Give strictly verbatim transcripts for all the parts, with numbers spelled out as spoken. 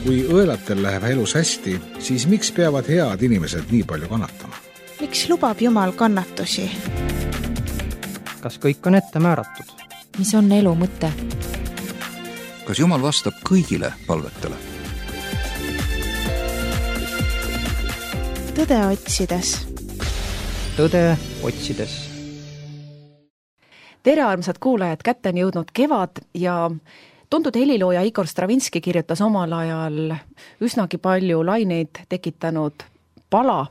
Kui õelatel läheb elus hästi, siis miks peavad head inimesed nii palju kannatama? Miks lubab Jumal kannatusi? Kas kõik on ette määratud? Mis on elu mõte? Kas Jumal vastab kõigile palvetele? Tõde otsides. Tõde otsides. Tere armsad kuulajad, kätte on jõudnud kevad ja tuntud helilooja Igor Stravinski kirjutas omal ajal üsnagi palju laineid tekitanud pala,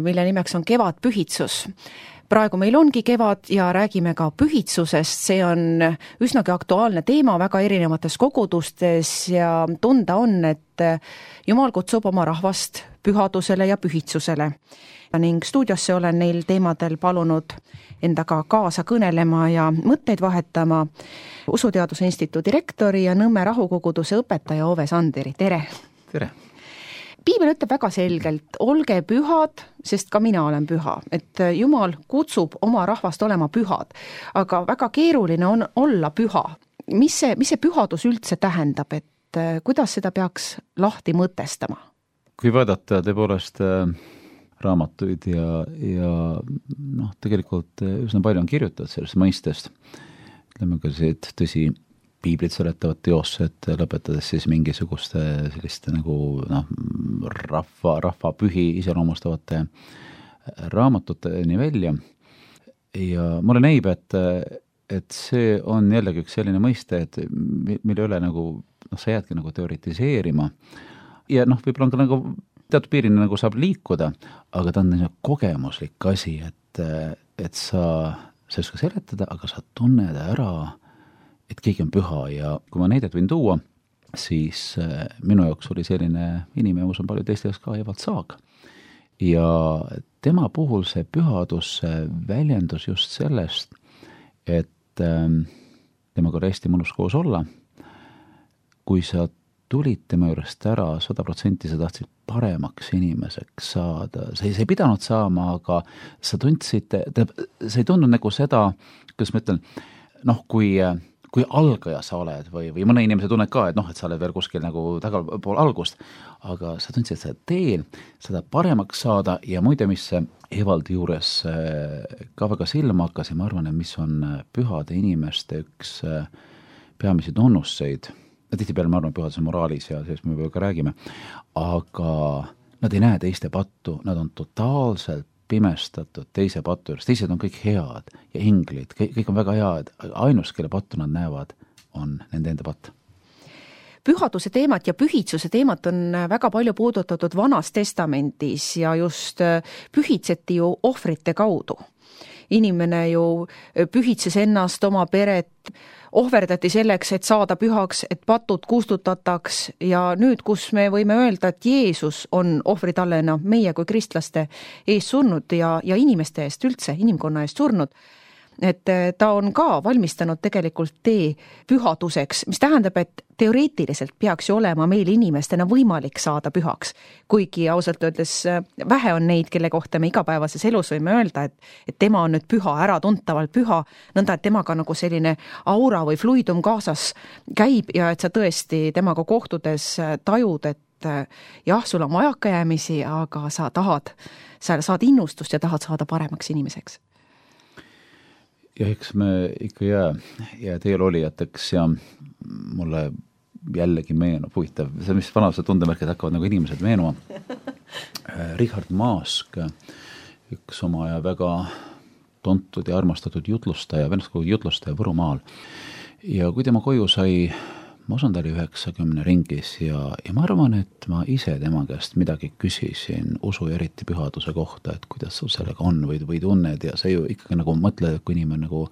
mille nimeks on Kevadpühitsus. Praegu meil ongi kevad ja räägime ka pühitsusest, see on üsnagi aktuaalne teema väga erinevates kogudustes ja tunda on, et Jumal kutsub oma rahvast pühadusele ja pühitsusele. Ning stuudiosse olen neil teemadel palunud endaga kaasa kõnelema ja mõtteid vahetama Usuteaduse Instituudi rektori ja Nõmme rahukoguduse õpetaja Ove Sanderi. Tere! Tere! Piibel ütleb väga selgelt, olge pühad, sest ka mina olen püha. Et Jumal kutsub oma rahvast olema pühad, aga väga keeruline on olla püha. Mis see, mis see pühadus üldse tähendab, et kuidas seda peaks lahti mõtestama? Kui vaadata tõepoolest raamatuid ja, ja noh, tegelikult üsna palju on kirjutatud sellest mõistest. Ütleme ka siit tõsi piiblit seletavad teosed, lõpetades siis mingisuguste selliste nagu noh, rahva, rahva pühi iseloomustavate raamatuteni välja. Ja mulle näib, et, et see on jällegi üks selline mõiste, et mille üle nagu, noh, sa jäädki nagu teoritiseerima. Ja noh, võib-olla on ka nagu teatud piirini nagu saab liikuda, aga ta on kogemuslik asi, et, et sa, sa ei oska seletada, aga sa tunned ära, et keegi on püha ja kui ma näidet võin tuua, siis minu jaoks oli selline inimene, mis on palju teiste jaoks ka Evald Saag. Ja tema puhul see pühadus väljendus just sellest, et temaga oli hästi mõnus koos olla. Kui sa tulid tema juurest ära, sada protsenti sa tahtsid paremaks inimeseks saada. Sa ei, sa ei pidanud saama, aga sa tundsid, sa ei tundnud nagu seda, kuidas ma ütlen, noh, kui, kui algaja sa oled või, või mõne inimese tunned ka, et noh, et sa oled veel kuskil nagu tagapool algust, aga sa tundsid seda teel, seda paremaks saada ja muide, mis Evaldi juures ka väga silma hakkas ja ma arvan, et mis on pühade inimeste üks peamisi tunnusseid. Tihti peale ma arvan pühaduse moraalis ja sellest me juba ka räägime, aga nad ei näe teiste pattu, nad on totaalselt pimestatud teise pattu juures, teised on kõik head ja inglid, kõik, kõik on väga head, ainus, kelle pattu nad näevad, on nende enda patt. Pühaduse teemat ja pühitsuse teemat on väga palju puudutatud Vanas testamendis ja just pühitseti ju ohvrite kaudu. Inimene ju pühitses ennast, oma peret, ohverdati selleks, et saada pühaks, et patud kustutataks ja nüüd, kus me võime öelda, et Jeesus on ohvritallena meie kui kristlaste ees surnud ja, ja inimeste eest üldse, inimkonna eest surnud, et ta on ka valmistanud tegelikult tee pühaduseks, mis tähendab, et teoreetiliselt peaks ju olema meil inimestena võimalik saada pühaks. Kuigi ausalt öeldes vähe on neid, kelle kohta me igapäevases elus võime öelda, et, et tema on nüüd püha, äratuntavalt püha, nõnda, et temaga nagu selline aura või fluidum kaasas käib ja et sa tõesti temaga kohtudes tajud, et jah, sul on vajakajäämisi, aga sa tahad, sa saad innustust ja tahad saada paremaks inimeseks. Ja eks me ikka jää, jää teel olijateks ja mulle jällegi meenub huvitav, see mis vanased tundemärkid hakkavad nagu inimesed meenuma. Richard Maask, üks oma aja väga tuntud ja armastatud jutlustaja, vennaskogu jutlustaja Võrumaal. Ja kui tema koju sai, ma usun, ta oli üheksakümne ringis ja, ja ma arvan, et ma ise tema käest midagi küsisin usu ja eriti pühaduse kohta, et kuidas sul sellega on või, või tunned ja sa ju ikkagi nagu mõtled, et kui inimene nagu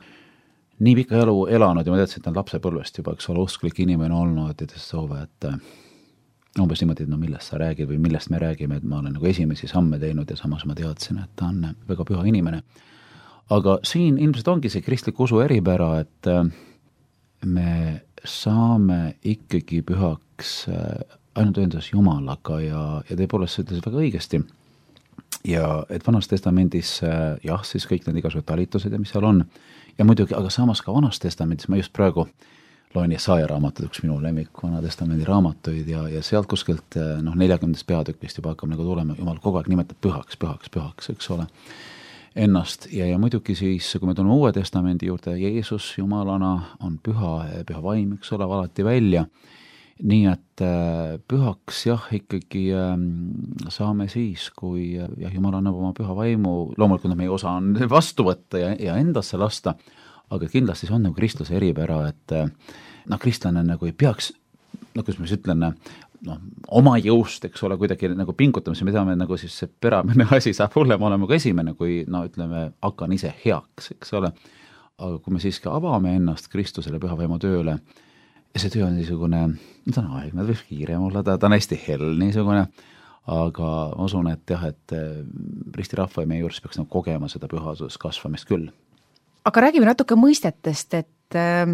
nii pika elu elanud ja ma teadsin, et on lapsepõlvest juba, eks ole, usklik inimene olnud ja ta soove, et umbes niimoodi, et no millest sa räägid või millest me räägime, et ma olen nagu esimesi samme teinud ja samas ma teadsin, et ta on väga püha inimene. Aga siin ilmselt ongi see kristlik usu eripära, et me saame ikkagi pühaks ainult ühendas Jumalaga ja, ja tõepoolest see ütles väga õigesti. Ja et Vanas testamendis jah, siis kõik need igasugused talitused ja mis seal on. Ja muidugi, aga samas ka Vanas testamendis ma just praegu loen Jesaja raamatut, üks minu lemmik Vana Testamendi raamatuid ja, ja sealt kuskilt noh, neljakümnendast peatükist juba hakkab nagu tulema, Jumal kogu aeg nimetab pühaks, pühaks, pühaks, eks ole, ennast ja, ja muidugi siis, kui me tuleme Uue Testamendi juurde, Jeesus Jumalana on püha, püha vaim, eks ole, alati välja. Nii et pühaks jah, ikkagi saame siis, kui jah, Jumal annab oma püha vaimu, loomulikult meie osa on vastu võtta ja, ja endasse lasta, aga kindlasti see on nagu kristluse eripära, et noh, kristlane nagu ei peaks, no kus ma siis ütlen, noh, oma jõust, eks ole, kuidagi nagu pingutamise, me teame nagu siis see peramine asi saab hullem olema kui esimene, kui no ütleme, hakkan ise heaks, eks ole, aga kui me siiski avame ennast Kristusele püha vaimu tööle, ja see töö on niisugune, ta on aegne, ta võib kiirem olla, ta, ta on hästi hell niisugune, aga ma usun, et jah, et risti rahva ja meie juures peaks nagu kogema seda pühadus kasvamist küll. Aga räägime natuke mõistetest, et äh,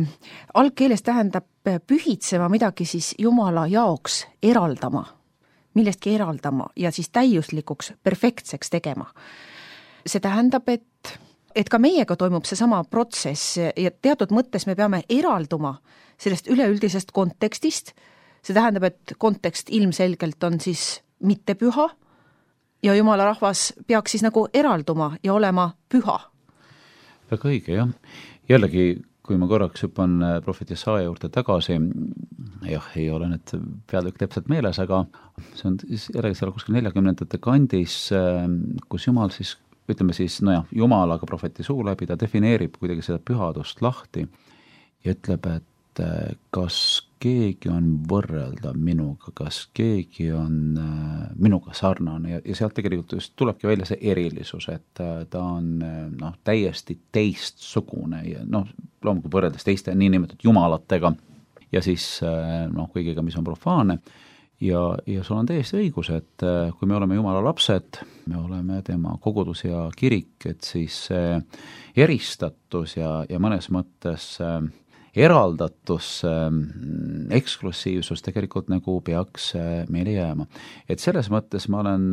algkeeles tähendab pühitsema midagi siis Jumala jaoks eraldama, millestki eraldama ja siis täiuslikuks, perfektseks tegema. See tähendab, et, et ka meiega toimub see sama protsess ja teatud mõttes me peame eralduma sellest üleüldisest kontekstist, see tähendab, et kontekst ilmselgelt on siis mitte püha ja Jumala rahvas peaks siis nagu eralduma ja olema püha. Väga õige, jah. Jällegi, kui ma korraks hüppan prohvet Jesaja juurde tagasi, jah, ei ole need peatükk täpselt meeles, aga see on jällegi seal kuskil neljakümnendate kandis, kus Jumal siis, ütleme siis, no jah, Jumal, aga prohveti suu läbi, ta defineerib kuidagi seda pühadust lahti ja ütleb, et kas keegi on võrreldav minuga, kas keegi on minuga sarnane ja, ja sealt tegelikult just tulebki välja see erilisus, et ta on noh, täiesti teistsugune ja noh, loomulikult võrreldes teiste niinimetatud jumalatega ja siis noh, kõigiga, mis on profaane ja, ja sul on täiesti õigus, et kui me oleme Jumala lapsed, me oleme tema kogudus ja kirik, et siis eristatus ja, ja mõnes mõttes eraldatus, eksklusiivsus tegelikult nagu peaks meile jääma. Et selles mõttes ma olen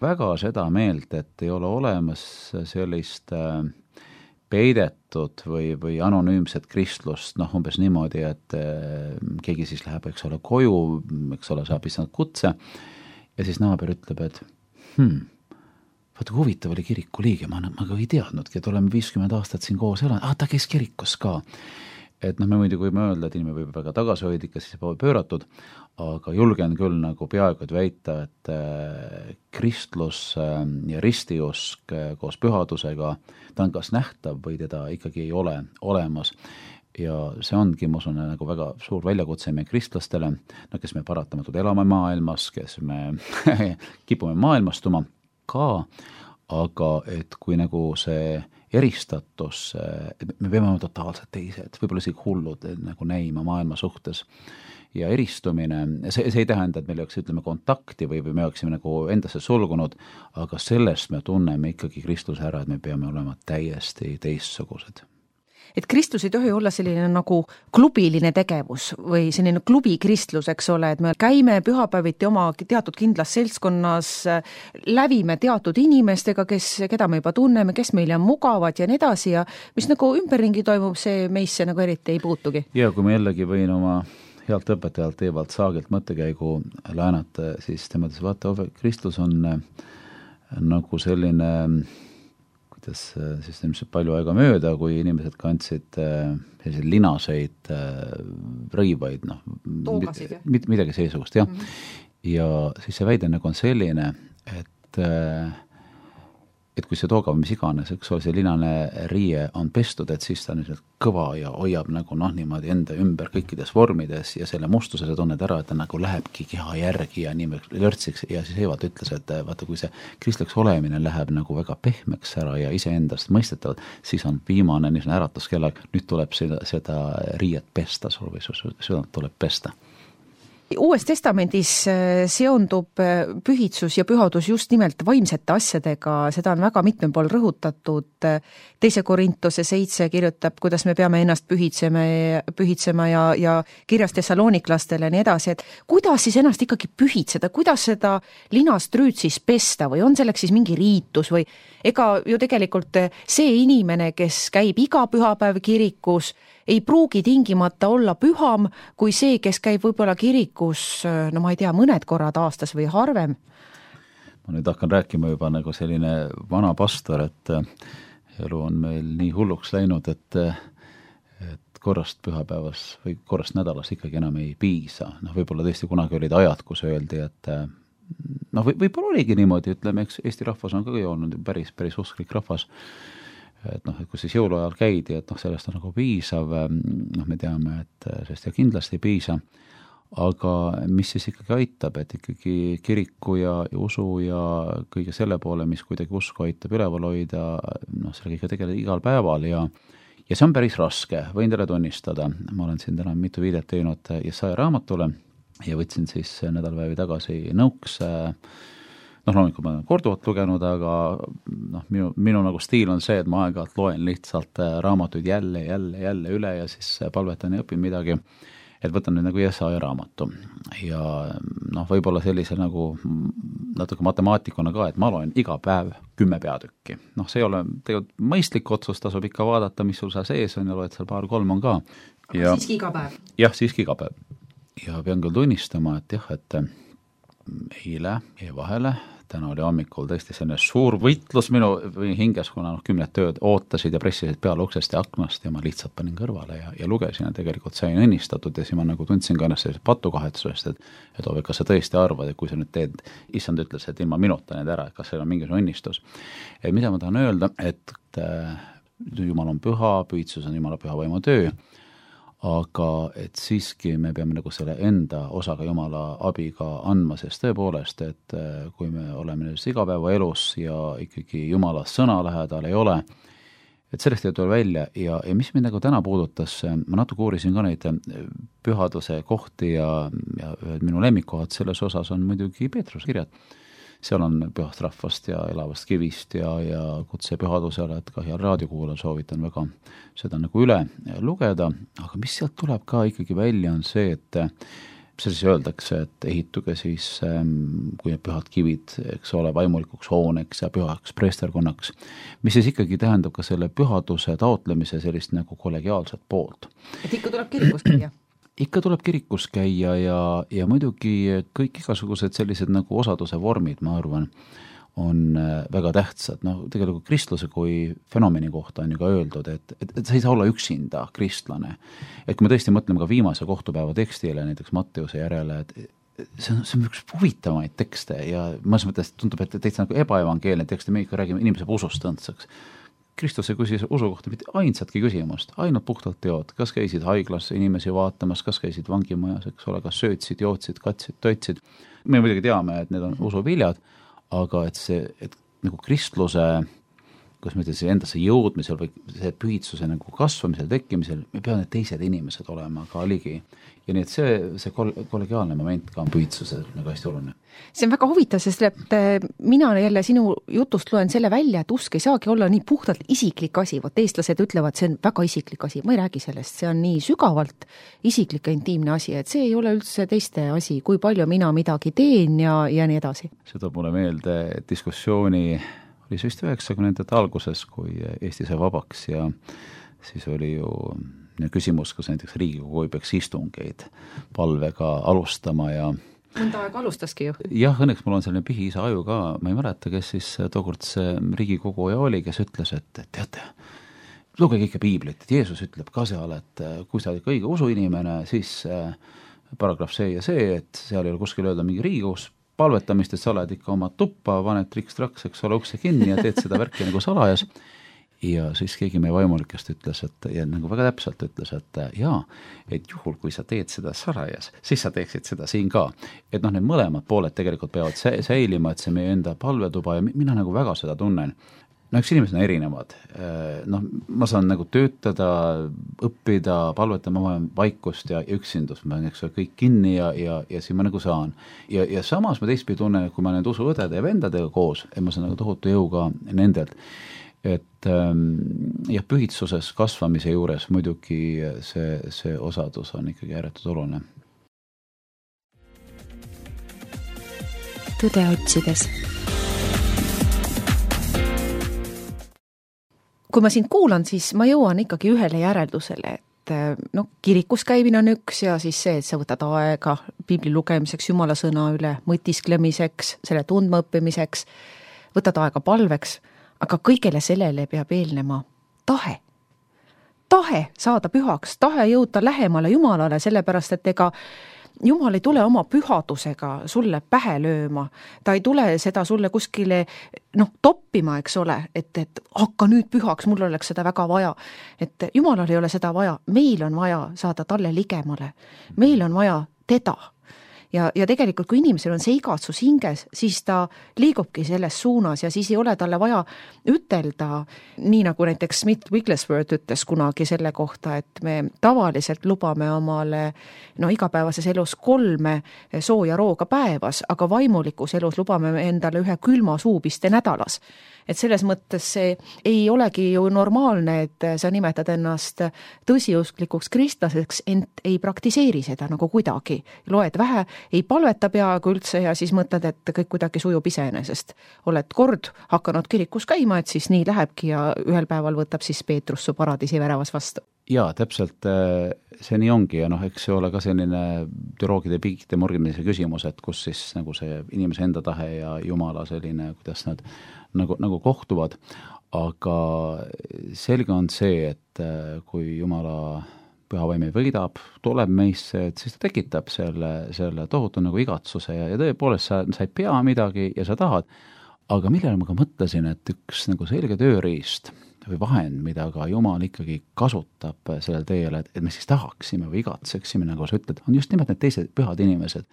väga seda meelt, et ei ole olemas sellist peidetud või, või anonüümset kristlust, noh umbes niimoodi, et keegi siis läheb, eks ole, koju, eks ole, saab issand kutse ja siis naaber ütleb, et hmm, vaata, kui huvitav oli kiriku liige, ma, ma ka ei teadnudki, et oleme viiskümmend aastat siin koos elanud, ah, ta käis kirikus ka. Et noh, me muidu võime öelda, et inimene võib väga tagasihoidlik ja siis poole pööratud, aga julgen küll nagu peaaegu väita, et kristlus ja ristiusk koos pühadusega, ta on kas nähtav või teda ikkagi ei ole olemas. Ja see ongi, ma usun, nagu väga suur väljakutse meie kristlastele, no, kes me paratamatult elame maailmas, kes me kipume maailmastuma ka, aga et kui nagu see eristatus, me peame olema totaalselt teised, võib-olla isegi hullud nagu näima maailma suhtes ja eristumine, see, see ei tähenda, et meil oleks, ütleme, kontakti või, või me oleksime nagu endasse sulgunud, aga sellest me tunneme ikkagi Kristuse ära, et me peame olema täiesti teistsugused. Et kristlus ei tohi olla selline nagu klubiline tegevus või selline klubi kristlus, eks ole, et me käime pühapäeviti oma teatud kindlas seltskonnas, lävime teatud inimestega, kes, keda me juba tunneme, kes meile on mugavad ja nii edasi ja mis nagu ümberringi toimub, see meisse nagu eriti ei puutugi. Ja kui ma jällegi võin oma healt õpetajalt Evald Saagilt mõttekäigu läänata, siis tema ütles, vaata, kristlus on nagu selline siis ilmselt palju aega mööda, kui inimesed kandsid selliseid linaseid rõivaid, noh, Toogasid, mid, midagi seesugust, jah. Mm-hmm. Ja siis see väide nagu on selline, et et kui see toogav, mis iganes, eks ole, see linane riie on pestud, et siis ta on kõva ja hoiab nagu noh, niimoodi enda ümber kõikides vormides ja selle mustuse sa tunned ära, et ta nagu lähebki keha järgi ja nii lörtsiks ja siis Evald ütles, et vaata, kui see kristlikuks olemine läheb nagu väga pehmeks ära ja iseendast mõistetavalt, siis on viimane niisugune äratuskellag, nüüd tuleb seda, seda riiet pesta sul või südant tuleb pesta. Uues testamendis seondub pühitsus ja pühadus just nimelt vaimsete asjadega, seda on väga mitmel pool rõhutatud. Teise Korintuse seitse kirjutab, kuidas me peame ennast pühitsema, pühitsema ja, ja kirjas Thessaloniklastele ja nii edasi, et kuidas siis ennast ikkagi pühitseda, kuidas seda linast rüüd siis pesta või on selleks siis mingi riitus või ega ju tegelikult see inimene, kes käib iga pühapäev kirikus, ei pruugi tingimata olla püham kui see, kes käib võib-olla kirikus, no ma ei tea, mõned korrad aastas või harvem. Ma nüüd hakkan rääkima juba nagu selline vana pastor, et elu on meil nii hulluks läinud, et, et korrast pühapäevas või korrast nädalas ikkagi enam ei piisa. Noh, võib-olla tõesti kunagi olid ajad, kus öeldi, et noh, võib-olla oligi niimoodi, ütleme, eks Eesti rahvas on ka olnud päris, päris usklik rahvas, et noh, et kui siis jõuluajal käidi, et noh, sellest on nagu piisav, noh, me teame, et sellest ja kindlasti ei piisa, aga mis siis ikkagi aitab, et ikkagi kiriku ja, ja usu ja kõige selle poole, mis kuidagi usku aitab üleval hoida, noh, sellega ikka tegeleda igal päeval ja ja see on päris raske, võin teile tunnistada, ma olen siin täna mitu viidet teinud Jesaja raamatule ja võtsin siis nädalpäevi tagasi nõuks, noh, loomulikult ma olen korduvalt lugenud, aga noh, minu, minu nagu stiil on see, et ma aeg-ajalt loen lihtsalt raamatuid jälle, jälle, jälle üle ja siis palvetan ja õpin midagi, et võtan nüüd nagu Jesaja raamatu ja noh, võib-olla sellise nagu natuke matemaatikuna ka, et ma loen iga päev kümme peatükki. Noh, see ei ole tegelikult mõistlik otsus, tasub ikka vaadata, mis sul seal sees on ja loed seal paar-kolm on ka. Aga ja, siiski iga päev? Jah, siiski iga päev. Ja pean küll tunnistama, et jah, et eile jäi vahele, täna oli hommikul tõesti selline suur võitlus minu hinges, kuna noh, kümned tööd ootasid ja pressisid peale uksest ja aknast ja ma lihtsalt panin kõrvale ja, ja lugesin ja tegelikult sain õnnistatud ja siis ma nagu tundsin ka ennast sellisest patukahetsusest, et, et Ove, kas sa tõesti arvad, et kui sa nüüd teed, issand ütles, et ilma minuta need ära, et kas seal on mingisugune õnnistus. Et mida ma tahan öelda, et Jumal on püha, pühitsus on Jumala püha võimu töö, aga et siiski me peame nagu selle enda osaga Jumala abiga andma, sest tõepoolest, et kui me oleme nüüd igapäeva elus ja ikkagi Jumala sõna lähedal ei ole, et sellest ei tule välja ja, ja mis mind nagu täna puudutas, ma natuke uurisin ka neid pühaduse kohti ja, ja minu lemmikkohad selles osas on muidugi Peetruse kirjad. Seal on pühast rahvast ja elavast kivist ja, ja kutse pühadusele, et ka heal raadiokuulajal soovitan väga seda nagu üle lugeda, aga mis sealt tuleb ka ikkagi välja on see, et see siis öeldakse, et ehituge siis, kui need pühad kivid, eks ole, vaimulikuks hooneks ja pühaks preesterkonnaks, mis siis ikkagi tähendab ka selle pühaduse taotlemise sellist nagu kollegiaalset poolt. Et ikka tuleb kirikus käia? Ikka tuleb kirikus käia ja, ja muidugi kõik igasugused sellised nagu osaduse vormid, ma arvan, on väga tähtsad. No, tegelikult kristluse kui fenomeni kohta on ju ka öeldud, et, et, et sa ei saa olla üksinda kristlane. Et kui me tõesti mõtleme ka viimase kohtupäeva tekstile, näiteks Matteuse järele, et see on, see on üks huvitavaid tekste ja mõnes mõttes tundub, et täitsa nagu ebaevangeelne tekst ja me ikka räägime inimese usust õndsaks. Kristus ei küsis usu kohta mitte ainsatki küsimust, ainult puhtalt teod, kas käisid haiglas inimesi vaatamas, kas käisid vangimajas, eks ole, kas söötsid, jootsid, katsid, toitsid. Me muidugi teame, et need on usuviljad, aga et see, et nagu kristluse, kuidas ma ütlen, endasse jõudmisel või see pühitsuse nagu kasvamisel, tekkimisel, me peame need teised inimesed olema ka ligi. Ja nii, et see, see kollegiaalne moment ka on pühitsuses nagu hästi oluline. See on väga huvitav, sest et mina jälle sinu jutust loen selle välja, et usk ei saagi olla nii puhtalt isiklik asi. Vot eestlased ütlevad, see on väga isiklik asi. Ma ei räägi sellest, see on nii sügavalt isiklik ja intiimne asi, et see ei ole üldse teiste asi, kui palju mina midagi teen ja, ja nii edasi. See toob mulle meelde diskussiooni oli see vist üheksakümnendate alguses, kui Eesti sai vabaks ja siis oli ju küsimus, kas näiteks Riigikogu ei peaks istungeid palvega alustama ja mõnda aega alustaski ju. Jah, õnneks mul on selline pihiisa aju ka, ma ei mäleta, kes siis tookord see Riigikogu ja oli, kes ütles, et teate, lugege ikka piiblit, et Jeesus ütleb ka seal, et kui sa oled õige usuinimene, siis paragrahv see ja see, et seal ei ole kuskil öelda mingi Riigikogus palvetamist, et sa oled ikka oma tuppa, paned triks-traks, eks ole, ukse kinni ja teed seda värki nagu salajas. Ja siis keegi meie vaimulikest ütles, et ja nagu väga täpselt ütles, et jaa, et juhul, kui sa teed seda salajas, siis sa teeksid seda siin ka. Et noh, need mõlemad pooled tegelikult peavad säilima, et see meie enda palvetuba ja mina nagu väga seda tunnen. No üks inimesed on erinevad. Noh, ma saan nagu töötada, õppida, palvetada, ma olen vaikust ja üksindust, ma olen eks kõik kinni ja, ja, ja siin ma nagu saan. Ja, ja samas ma teistpidi tunnen, et kui ma need usuõdede ja vendadega koos, et ma saan nagu tohutu jõuga nendelt. Et jah, pühitsuses kasvamise juures muidugi see, see osadus on ikkagi ääretult oluline. Tõde otsides. Kui ma sind kuulan, siis ma jõuan ikkagi ühele järeldusele, et noh, kirikus käimine on üks ja siis see, et sa võtad aega piibli lugemiseks, jumala sõna üle mõtisklemiseks, selle tundmaõppimiseks, võtad aega palveks, aga kõigele sellele peab eelnema tahe. Tahe saada pühaks, tahe jõuda lähemale Jumalale, sellepärast, et ega Jumal ei tule oma pühadusega sulle pähe lööma, ta ei tule seda sulle kuskile noh, toppima, eks ole, et, et hakka nüüd pühaks, mul oleks seda väga vaja. Et Jumalal ei ole seda vaja, meil on vaja saada talle ligemale, meil on vaja teda. Ja, ja tegelikult, kui inimesel on see igatsus hinges, siis ta liigubki selles suunas ja siis ei ole talle vaja ütelda, nii nagu näiteks Smith Wigglesworth ütles kunagi selle kohta, et me tavaliselt lubame omale no, igapäevases elus kolme sooja rooga päevas, aga vaimulikus elus lubame endale ühe külma suupiste nädalas. Et selles mõttes see ei olegi ju normaalne, et sa nimetad ennast tõsiusklikuks kristlaseks, ent ei praktiseeri seda nagu kuidagi. Loed vähe, ei palveta peaaegu üldse ja siis mõtled, et kõik kuidagi sujub iseenesest. Oled kord hakanud kirikus käima, et siis nii lähebki ja ühel päeval võtab siis Peetrus su paradiisi väravas vastu. Jaa, täpselt see nii ongi ja noh, eks see ole ka selline teoloogide piikide morgimise küsimus, et kus siis nagu see inimese enda tahe ja Jumala selline, kuidas nad nagu, nagu kohtuvad, aga selge on see, et kui Jumala pühavaim võidab, tuleb meisse, et siis ta tekitab selle, selle tohutu nagu igatsuse ja, ja tõepoolest sa, sa ei pea midagi ja sa tahad, aga millele ma ka mõtlesin, et üks nagu selge tööriist või vahend, mida ka Jumal ikkagi kasutab sellel teel, et, et me siis tahaksime või igatseksime, nagu sa ütled, on just nimelt need teised pühad inimesed.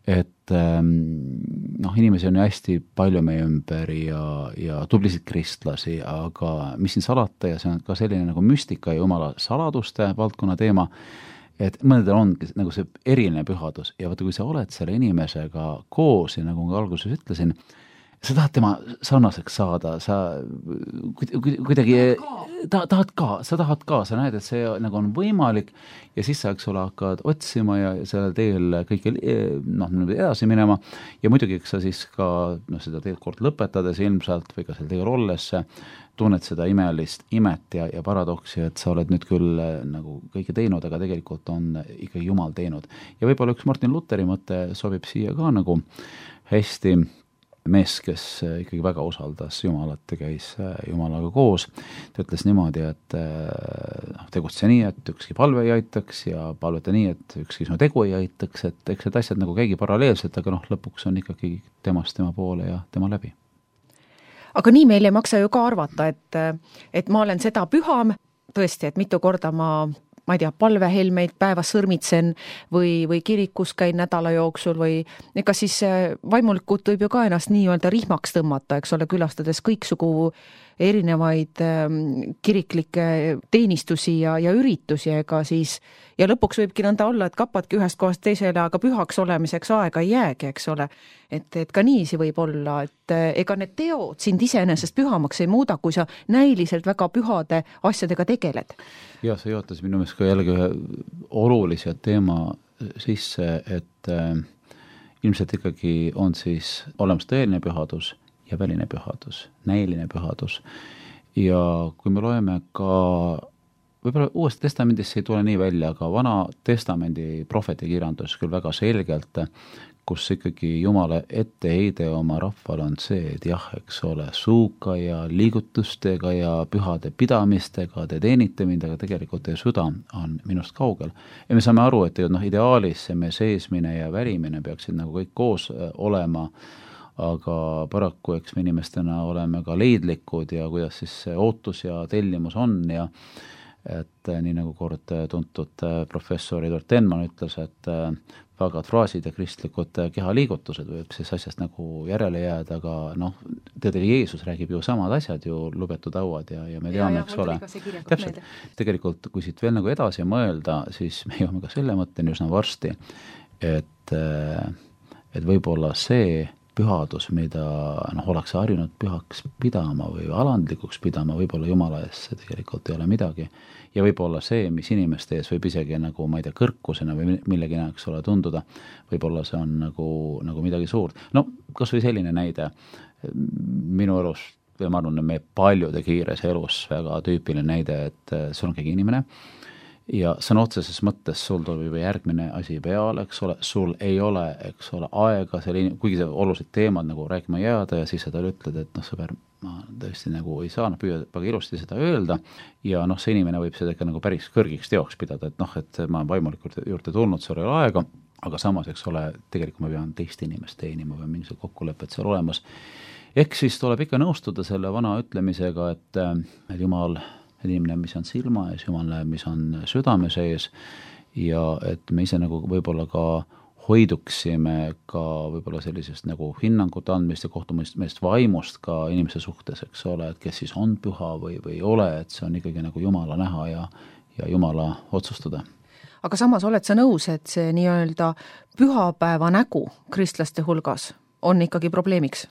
Et noh, inimesi on ju hästi palju meie ümber ja, ja tublisid kristlasi, aga mis siin salata ja see on ka selline nagu müstika ja Jumala saladuste valdkonna teema, et mõnedel on nagu see eriline pühadus ja vaata, kui sa oled selle inimesega koos ja nagu ma alguses ütlesin, sa tahad tema sarnaseks saada, sa kuidagi ta, tahad ka, sa tahad ka, sa näed, et see nagu on võimalik ja siis sa, eks ole, hakkad otsima ja sellel teel kõike noh, edasi minema ja muidugi, eks sa siis ka noh, seda teed kord lõpetades ilmselt või ka seal teel olles tunned seda imelist imet ja, ja paradoksi, et sa oled nüüd küll nagu kõike teinud, aga tegelikult on ikkagi Jumal teinud. Ja võib-olla üks Martin Lutheri mõte sobib siia ka nagu hästi mees, kes ikkagi väga usaldas Jumalat ja käis Jumalaga koos. Ta ütles niimoodi, et tegutse nii, et ükski palve ei aitaks ja palveta nii, et ükski sinu tegu ei aitaks, et eks need asjad nagu käigi paralleelselt, aga noh, lõpuks on ikkagi temast tema poole ja tema läbi. Aga nii meil ei maksa ju ka arvata, et, et ma olen seda püham, tõesti, et mitu korda ma ma ei tea, palvehelmeid päevas sõrmitsen või, või kirikus käin nädala jooksul või ega siis vaimulikult võib ju ka ennast nii-öelda rihmaks tõmmata, eks ole, külastades kõiksugu erinevaid kiriklikke teenistusi ja, ja üritusi, ega siis ja lõpuks võibki nõnda olla, et kapadki ühest kohast teisele, aga pühaks olemiseks aega ei jäägi, eks ole. Et, et ka niisi võib olla, et ega need teod sind iseenesest pühamaks ei muuda, kui sa näiliselt väga pühade asjadega tegeled. Ja see juhatas minu meelest ka jällegi ühe olulise teema sisse, et äh, ilmselt ikkagi on siis olemas tõeline pühadus ja väline pühadus, näiline pühadus. Ja kui me loeme ka, võib-olla uuest testamendist ei tule nii välja, aga vana testamendi prohveti kirjandus küll väga selgelt, kus ikkagi Jumala etteheide oma rahval on see, et jah, eks ole, suuka ja liigutustega ja pühade pidamistega te teenite mind, aga tegelikult teie süda on minust kaugel. Ja me saame aru, et noh, ideaalis see me seesmine ja värimine peaksid nagu kõik koos olema, aga paraku eks me inimestena oleme ka leidlikud ja kuidas siis see ootus ja tellimus on ja et nii nagu kord tuntud professor Edward Tenman ütles, et vagad fraasid ja kristlikud kehaliigutused võib siis asjast nagu järele jääda, aga noh, tõdega Jeesus räägib ju samad asjad ju lubetud hauad ja, ja me teame, ja, eks ole. Täpselt, tegelikult kui siit veel nagu edasi mõelda, siis me jõuame ka selle mõtteni üsna varsti, et, et võib-olla see pühadus, mida noh, oleks harjunud pühaks pidama või alandlikuks pidama, võib-olla Jumala ees see tegelikult ei ole midagi. Ja võib-olla see, mis inimeste ees võib isegi nagu, ma ei tea, kõrkusena või millegi näeks ole tunduda, võib-olla see on nagu, nagu midagi suurt. No, kas või selline näide minu elus, või ma arvan, meie paljude kiires elus väga tüüpiline näide, et sul on keegi inimene ja sõna otseses mõttes sul tuleb juba järgmine asi peale, eks ole, sul ei ole, eks ole, aega selle, kuigi see olulised teemad nagu rääkima jääda ja siis sa talle ütled, et noh, sõber, ma tõesti nagu ei saa, noh, püüa väga ilusti seda öelda ja noh, see inimene võib seda ikka nagu päris kõrgiks teoks pidada, et noh, et ma olen vaimulikult juurde tulnud, sul ei ole aega, aga samas, eks ole, tegelikult ma pean teist inimest teenima või mingisugused kokkulepped seal olemas. Ehk siis tuleb ikka nõustuda selle vana ütlemisega, et, et Jumal, inimene, mis on silma ees, Jumal näeb, mis on südame sees ja et me ise nagu võib-olla ka hoiduksime ka võib-olla sellisest nagu hinnangut andmist ja kohtumist vaimust ka inimese suhtes, eks ole, et kes siis on püha või, või ei ole, et see on ikkagi nagu Jumala näha ja, ja Jumala otsustada. Aga samas oled sa nõus, et see nii-öelda pühapäeva nägu kristlaste hulgas on ikkagi probleemiks?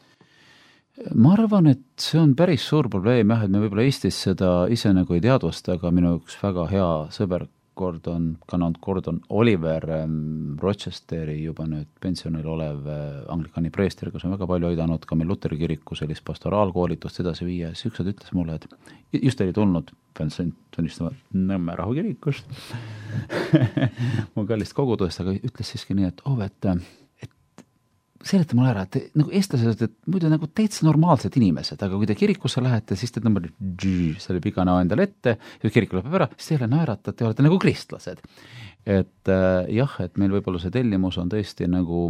Ma arvan, et see on päris suur probleem jah, et me võib-olla Eestis seda ise nagu ei teadvusta, aga minu üks väga hea sõber Gordon, Gordon, Gordon Oliver ähm, Rochesteri juba nüüd pensionil olev äh, anglikani preester, kes on väga palju aidanud ka meil Luteri kiriku sellist pastoraalkoolitust edasi viia, siis ükskord ütles mulle, et just oli tulnud, pean tunnistama Nõmme rahukirikust mu kallist kogudust, aga ütles siiski nii, et oh, et seleta mulle ära, et nagu eestlased, et muidu nagu täitsa normaalsed inimesed, aga kui te kirikusse lähete, siis te tõmbate selle piga näo endale ette, ja kirik lõpeb ära, siis teile naerata, et te olete nagu kristlased. Et äh, jah, et meil võib-olla see tellimus on tõesti nagu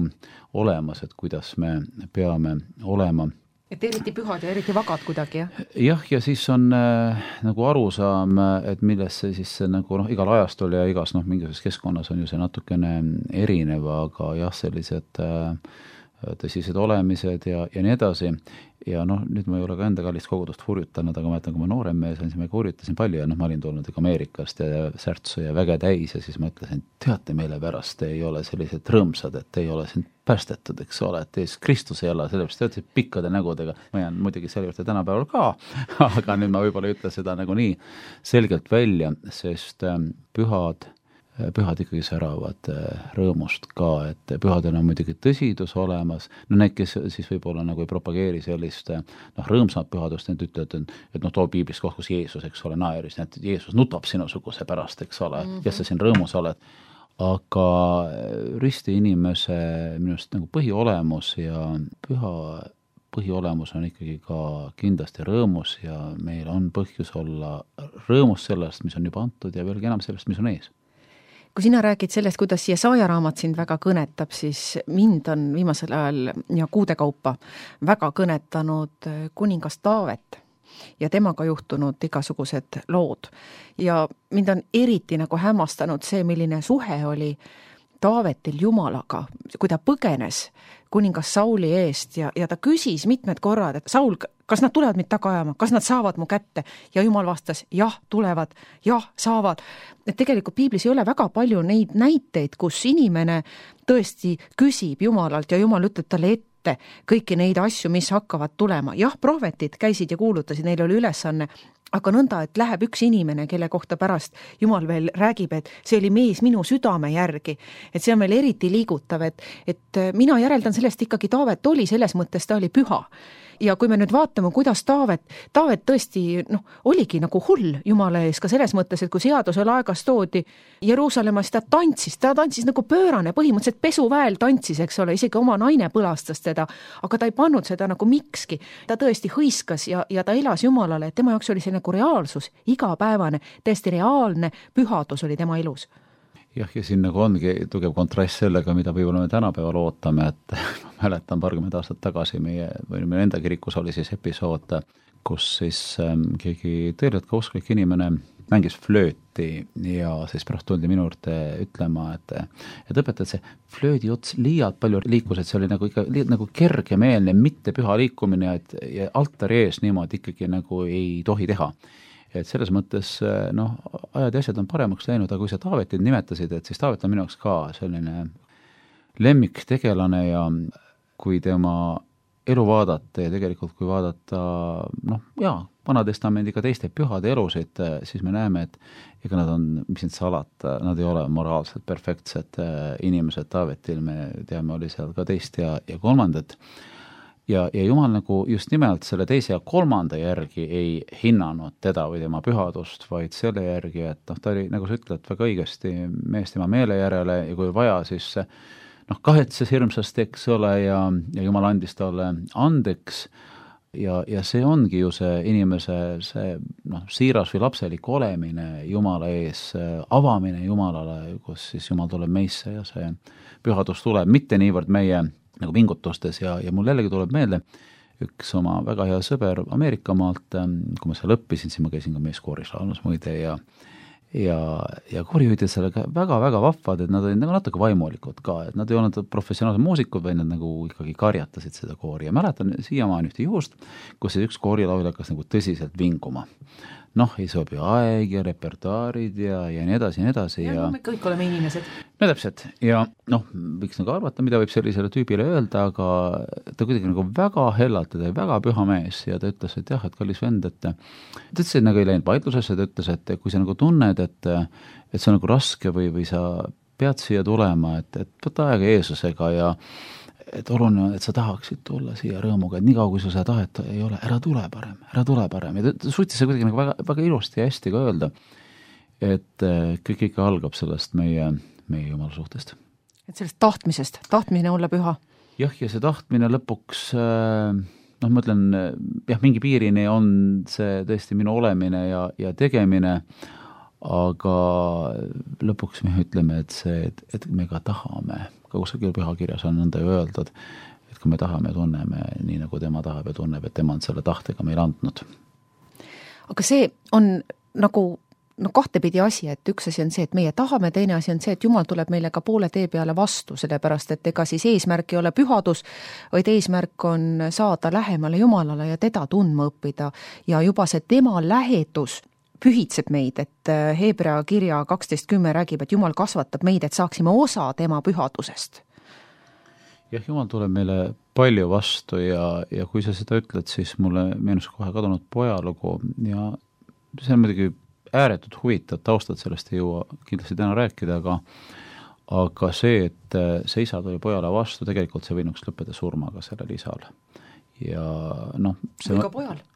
olemas, et kuidas me peame olema. Et eriti pühad ja eriti vagad kuidagi, jah? Jah, ja siis on äh, nagu arusaam, et milles see siis nagu noh, igal ajastul ja igas noh, mingisuses keskkonnas on ju see natukene erinev, aga jah, sellised äh, tõsised olemised ja, ja nii edasi. Ja noh, nüüd ma ei ole ka enda kallist kogudust hurjutanud, aga ma ütlen, kui ma noorem mees on, siis ma hurjutasin palju ja noh, ma olin tulnud ikka Ameerikast ja särtsu ja väge täis ja siis ma ütlesin, teate meile pärast, te ei ole sellised rõõmsad, et te ei ole siin päästetud, eks ole, et teis Kristus ei ole, sellepärast te olete pikkade nägudega. Ma jään muidugi selle juurde tänapäeval ka, aga nüüd ma võib-olla ei ütle seda nagu nii selgelt välja, sest pühad pühad ikkagi säravad rõõmust ka, et pühadel on muidugi tõsidus olemas, no need, kes siis võib-olla nagu ei propageeri sellist noh, rõõmsat pühadust, need ütlevad, et noh, too piiblis koht, kus Jeesus, eks ole, naeris, et Jeesus nutab sinusuguse pärast, eks ole, mm-hmm. ja sa siin rõõmus oled, aga risti inimese minust nagu põhiolemus ja püha põhiolemus on ikkagi ka kindlasti rõõmus ja meil on põhjus olla rõõmus sellest, mis on juba antud ja veelgi enam sellest, mis on ees. Kui sina räägid sellest, kuidas Jesaja raamat sind väga kõnetab, siis mind on viimasel ajal ja kuude kaupa väga kõnetanud kuningas Taavet ja temaga juhtunud igasugused lood. Ja mind on eriti nagu hämmastanud see, milline suhe oli Taavetil Jumalaga, kui ta põgenes kuningas Sauli eest ja, ja ta küsis mitmed korrad, et Saul, kas nad tulevad mind taga ajama, kas nad saavad mu kätte? Ja Jumal vastas, jah, tulevad, jah, saavad. Et tegelikult piiblis ei ole väga palju neid näiteid, kus inimene tõesti küsib Jumalalt ja Jumal ütleb talle ette kõiki neid asju, mis hakkavad tulema. Jah, prohvetid käisid ja kuulutasid, neil oli ülesanne, aga nõnda, et läheb üks inimene, kelle kohta pärast Jumal veel räägib, et see oli mees minu südame järgi, et see on veel eriti liigutav, et, et mina järeldan sellest ikkagi Taavet oli, selles mõttes ta oli püha. Ja kui me nüüd vaatame, kuidas Taavet, Taavet tõesti noh, oligi nagu hull Jumala ees ka selles mõttes, et kui seadusel aegas toodi Jeruusalemmas, ta tantsis, ta tantsis nagu pöörane, põhimõtteliselt pesuväel tantsis, eks ole, isegi oma naine põlastas teda, aga ta ei pannud seda nagu mikski. Ta tõesti hõiskas ja, ja ta elas Jumalale, et tema jaoks oli see nagu reaalsus, igapäevane, täiesti reaalne pühadus oli tema elus. Jah, ja siin nagu ongi tugev kontrast sellega, mida võib-olla me tänapäeval ootame, et ma mäletan parkümmend aastat tagasi meie, või meie enda kirikus oli siis episood, kus siis ähm, keegi tõeliselt ka usklik inimene mängis flööti ja siis pärast tuldi minu juurde ütlema, et, et õpetad see flöödi ots liialt palju liikus, et see oli nagu ikka liialt nagu kergemeelne, mitte püha liikumine, et ja altari ees niimoodi ikkagi nagu ei tohi teha. Et selles mõttes, noh, ajad ja asjad on paremaks läinud, aga kui sa Taavetit nimetasid, et siis Taavet on minu jaoks ka selline lemmiktegelane ja kui tema elu vaadata ja tegelikult kui vaadata, noh, jaa, Vanatestamendiga teiste pühade elusid, siis me näeme, et ega nad on, mis need salata, nad ei ole moraalselt perfektsed inimesed. Taavetil me teame, oli seal ka teist ja, ja kolmandat. ja, ja Jumal nagu just nimelt selle teise ja kolmanda järgi ei hinnanud teda või tema pühadust, vaid selle järgi, et noh, ta oli, nagu sa ütled, väga õigesti mees tema meele järele ja kui vaja, siis noh, kahetses hirmsasti, eks ole, ja, ja Jumal andis talle andeks ja, ja see ongi ju see inimese see noh, siiras või lapselik olemine Jumala ees, avamine Jumalale, kus siis Jumal tuleb meisse ja see pühadus tuleb, mitte niivõrd meie nagu pingutustes ja, ja mul jällegi tuleb meelde üks oma väga hea sõber Ameerikamaalt, kui ma seal õppisin, siis ma käisin ka meeskooris laulmas muide ja ja, ja koorijuhid sellega väga-väga vahvad, et nad olid nagu natuke vaimulikud ka, et nad ei olnud professionaalsed muusikud, vaid nad nagu ikkagi karjatasid seda koori ja mäletan siiamaani ühte juhust, kus üks koorilaulja hakkas nagu tõsiselt vinguma. Noh, ei sobi aeg ja repertuaarid ja, ja nii edasi, nii edasi. Ja, ja me kõik oleme inimesed. No täpselt. Ja noh, võiks nagu arvata, mida võib sellisele tüübile öelda, aga ta kuidagi nagu väga hellalt, ta väga püha mees ja ta ütles, et jah, et kallis vend, et ta ütles, et nagu ei läinud vaidlusesse, ta ütles, et kui sa nagu tunned, et, et see on nagu raske või, või sa pead siia tulema, et, et võta aega Jeesusega ja et oluline on, et sa tahaksid tulla siia rõõmuga, et nii kaua, kui sa seda tahet ei ole, ära tule parem, ära tule parem. Ja ta suutis see kuidagi nagu väga, väga ilusti ja hästi ka öelda, et kõik ikka algab sellest meie, meie Jumala suhtest. Et sellest tahtmisest, tahtmine olla püha. Jah, ja see tahtmine lõpuks, noh, ma ütlen, jah, mingi piirini on see tõesti minu olemine ja, ja tegemine, aga lõpuks me ütleme, et see, et, et me ka tahame, ka kusagil pühakirjas on nõnda ju öeldud, et kui me tahame, tunneme nii, nagu tema tahab ja tunneb, et tema on selle tahtega meil andnud. Aga see on nagu no kahtepidi asi, et üks asi on see, et meie tahame, teine asi on see, et Jumal tuleb meile ka poole tee peale vastu, sellepärast et ega siis eesmärk ei ole pühadus, vaid eesmärk on saada lähemale Jumalale ja teda tundma õppida ja juba see tema lähedus pühitseb meid, et Hebra kirja kaksteist kümme räägib, et Jumal kasvatab meid, et saaksime osa tema pühadusest. Jah, Jumal tuleb meile palju vastu ja, ja kui sa seda ütled, siis mulle meenus kohe kadunud pojalugu ja see on muidugi ääretult huvitav, taustad sellest ei jõua kindlasti täna rääkida, aga aga see, et see isa tuli pojale vastu, tegelikult see võinuks lõppeda surmaga sellel isal. Ja noh, see või ka pojal.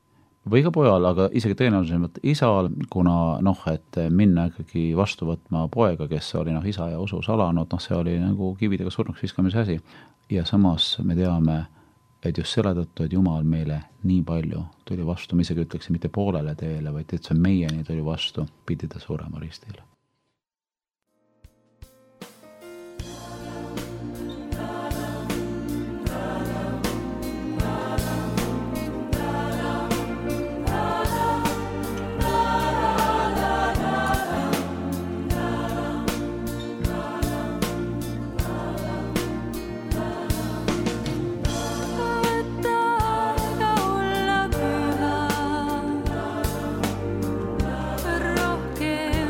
Või ka pojal, aga isegi tõenäolisemalt isal, kuna noh, et minna ikkagi vastu võtma poega, kes oli noh, isa ja usus alanud, noh, see oli nagu kividega surnuks viskamise asi. Ja samas me teame, et just selle tõttu, et Jumal meile nii palju tuli vastu, me isegi ütleksin mitte poolele teele, vaid et see meieni tuli vastu, pidi ta surema ristile. Rohkem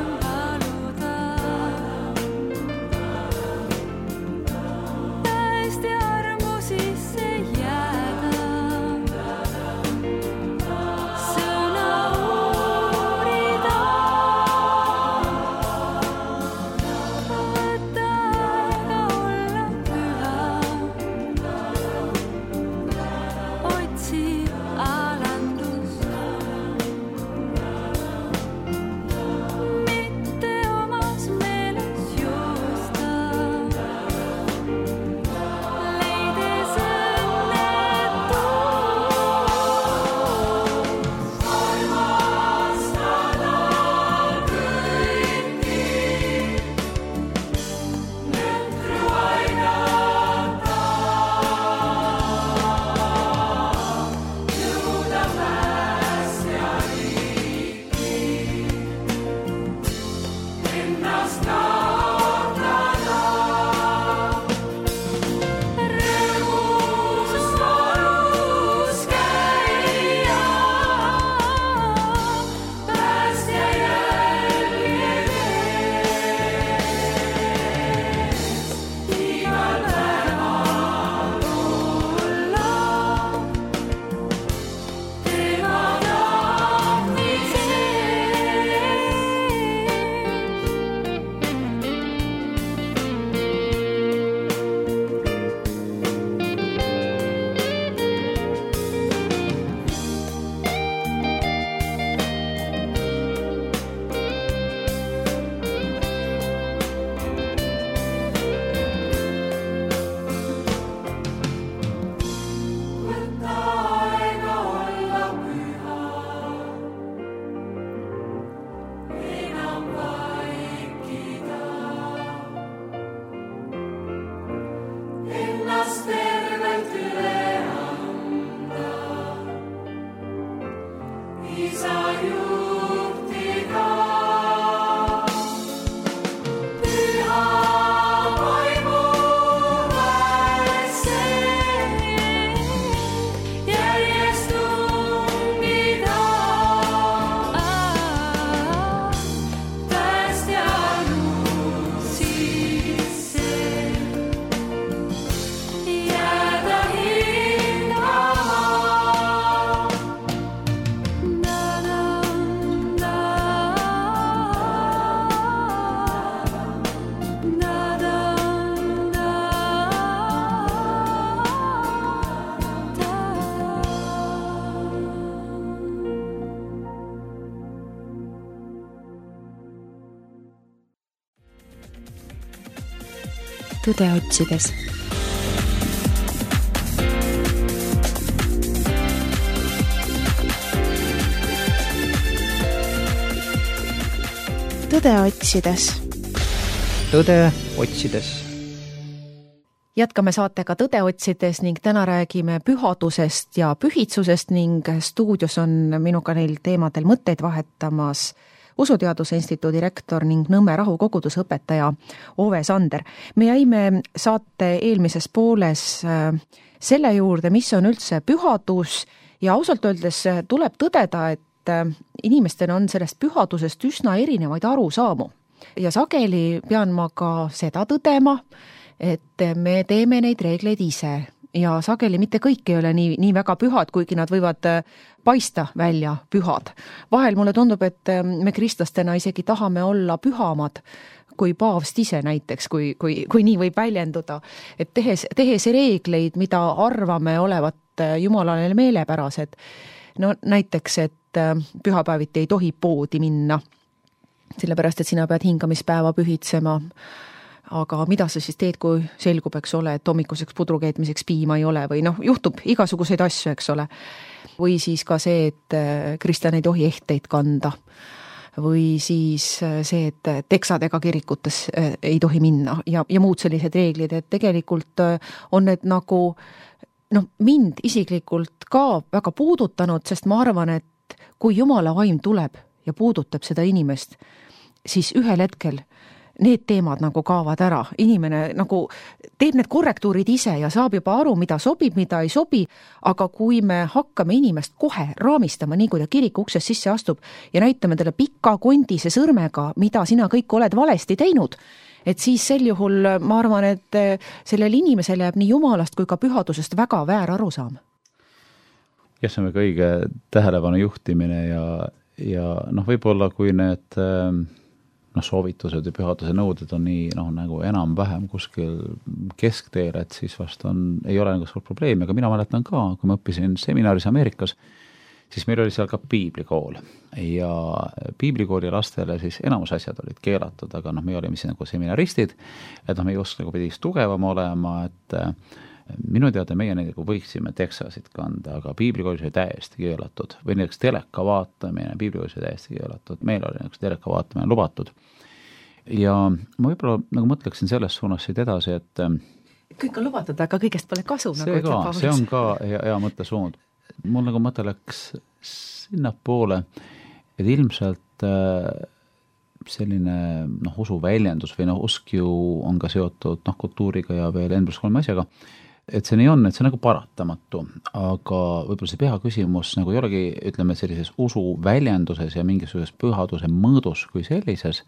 Tõde otsides. Tõde otsides. Tõde otsides. Jätkame saatega Tõde otsides ning täna räägime pühadusest ja pühitsusest ning stuudios on minuga neil teemadel mõtteid vahetamas Usuteaduse Instituudi rektor ning Nõmme rahukoguduse õpetaja Ove Sander. Me jäime saate eelmises pooles selle juurde, mis on üldse pühadus ja ausalt öeldes tuleb tõdeda, et inimestel on sellest pühadusest üsna erinevaid arusaamu. Ja sageli pean ma ka seda tõdema, et me teeme neid reegleid ise ja sageli mitte kõik ei ole nii, nii väga pühad, kuigi nad võivad paista välja pühad. Vahel mulle tundub, et me kristlastena isegi tahame olla pühamad kui paavst ise näiteks, kui, kui, kui nii võib väljenduda. Et tehes, tehes reegleid, mida arvame olevat Jumalale meelepärased, no näiteks, et pühapäeviti ei tohi poodi minna, sellepärast, et sina pead hingamispäeva pühitsema. Aga mida sa siis teed, kui selgub, eks ole, et hommikuseks pudrukeetmiseks piima ei ole või noh, juhtub igasuguseid asju, eks ole. Või siis ka see, et kristlane ei tohi ehteid kanda. Või siis see, et teksadega kirikutes ei tohi minna ja, ja muud sellised reeglid, et tegelikult on need nagu no, mind isiklikult ka väga puudutanud, sest ma arvan, et kui Jumala vaim tuleb ja puudutab seda inimest, siis ühel hetkel need teemad nagu kaovad ära. Inimene nagu teeb need korrektuurid ise ja saab juba aru, mida sobib, mida ei sobi, aga kui me hakkame inimest kohe raamistama, nii kui ta kiriku uksest sisse astub ja näitame talle pika kondise sõrmega, mida sina kõik oled valesti teinud, et siis sel juhul ma arvan, et sellel inimesel jääb nii Jumalast kui ka pühadusest väga väär arusaam. Ja see on väga õige tähelepanu juhtimine ja, ja noh, võib-olla kui need noh, soovitused ja pühaduse nõuded on nii noh, nagu enam-vähem kuskil keskteel, et siis vast on, ei ole nagu suur probleemi, aga mina mäletan ka, kui ma õppisin seminaris Ameerikas, siis meil oli seal ka piiblikool ja piiblikooli lastele siis enamus asjad olid keelatud, aga noh, me olime siis nagu seminaristid, et noh, meie usk nagu pidi tugevam olema, et minu teada meie nagu võiksime teksasid kanda, aga piiblikoolis oli täiesti keelatud või näiteks teleka vaatamine, piiblikoolis oli täiesti keelatud, meil oli näiteks teleka vaatamine lubatud. Ja ma võib-olla nagu mõtleksin selles suunas siit edasi, et kõik on lubatud, aga kõigest pole kasu. See, nagu ka, see on ka hea, hea mõttesuund. Mul nagu mõte läks sinna poole, et ilmselt selline noh, usu väljendus või noh, usk ju on ka seotud noh, kultuuriga ja veel N plus kolme asjaga, et see nii on, et see on nagu paratamatu, aga võib-olla see püha küsimus nagu ei olegi, ütleme, sellises usu väljenduses ja mingisuguses pühaduse mõõdus kui sellises,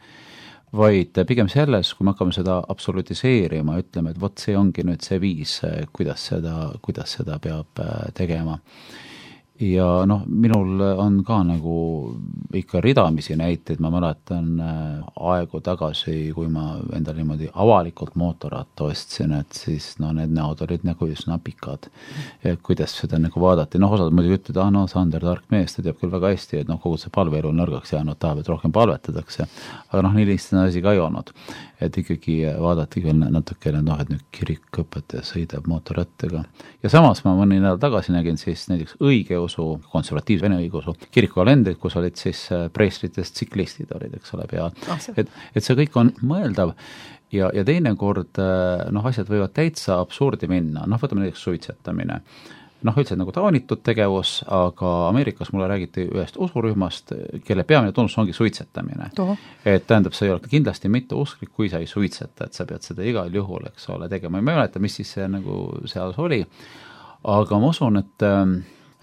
vaid pigem selles, kui me hakkame seda absolutiseerima, ütleme, et vot see ongi nüüd see viis, kuidas seda, kuidas seda peab tegema. Ja noh, minul on ka nagu ikka ridamisi näiteid, ma mäletan aegu tagasi, kui ma endal niimoodi avalikult mootorratta ostsin, et siis no need näod olid nagu üsna pikad, kuidas seda nagu vaadati. Noh, osad muidugi ütled, ah no Sander, tark mees, ta teab küll väga hästi, et noh, kogu see palveelu on nõrgaks jäänud, tahab, et rohkem palvetatakse, aga noh, nii lihtsalt asi ka ei olnud, et ikkagi vaadati küll natukene, noh, et nüüd kirikõpetaja sõidab mootorrattaga. Ja samas ma mõni nädal tagasi nägin siis näiteks õige usu, konservatiivse vene õigeusu kirikukalendrid, kus olid siis preestritest tsiklistid olid, eks ole, peal. Et, et see kõik on mõeldav ja, ja teine kord noh, asjad võivad täitsa absurdi minna, noh, võtame näiteks suitsetamine. Noh, üldse nagu taunitud tegevus, aga Ameerikas mulle räägiti ühest usurühmast, kelle peamine tunnus ongi suitsetamine. Toho. Et tähendab, see ei ole kindlasti mitte usklik, kui sa ei suitseta, et sa pead seda igal juhul, eks ole, tegema. Ma ei mäleta, mis siis see nagu seal oli, aga ma usun, et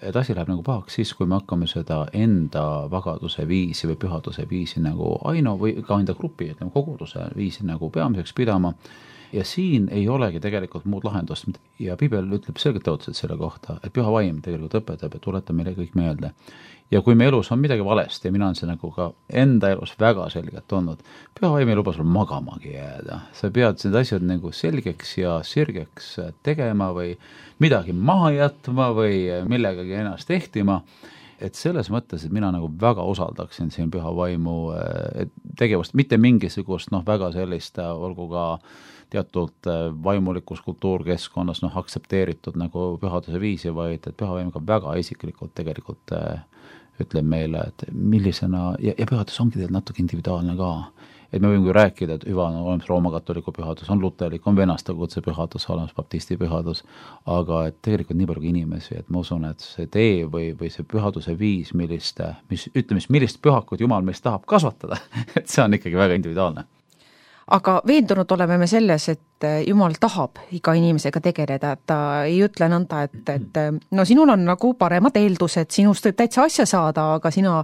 et asi läheb nagu pahaks siis, kui me hakkame seda enda vagaduse viisi või pühaduse viisi nagu ainu või ka enda grupi, ütleme, koguduse viisi nagu peamiseks pidama. Ja siin ei olegi tegelikult muud lahendust ja Piibel ütleb selgelt otseselt selle kohta, et püha vaim tegelikult õpetab ja tuletab meile kõik meelde. Ja kui me elus on midagi valesti ja mina on see nagu ka enda elus väga selgelt olnud, püha vaim ei luba sul magamagi jääda. Sa pead need asjad nagu selgeks ja sirgeks tegema või midagi maha jätma või millegagi ennast ehtima, et selles mõttes, et mina nagu väga usaldaksin siin püha vaimu tegevust, mitte mingisugust noh, väga sellist, olgu ka teatud vaimulikus kultuurkeskkonnas noh, aktsepteeritud nagu pühaduse viisi, vaid et püha vaim ka väga isiklikult tegelikult ütleb meile, et millisena, ja, ja pühadus ongi tegelikult natuke individuaalne ka. Et me võime rääkida, et hüva on olemas Rooma katoliku pühadus, on luterlik, on venasta kutse pühadus, olemas baptisti pühadus, aga et tegelikult nii palju inimesi, et ma usun, et see tee või, või see pühaduse viis, millist, mis, ütleme, millist pühakut Jumal meist tahab kasvatada, et see on ikkagi väga individuaalne. Aga veendunud oleme me selles, et Jumal tahab iga inimesega tegeleda, et ta ei ütle nõnda, et, et no sinul on nagu paremad eeldused, sinust võib täitsa asja saada, aga sina,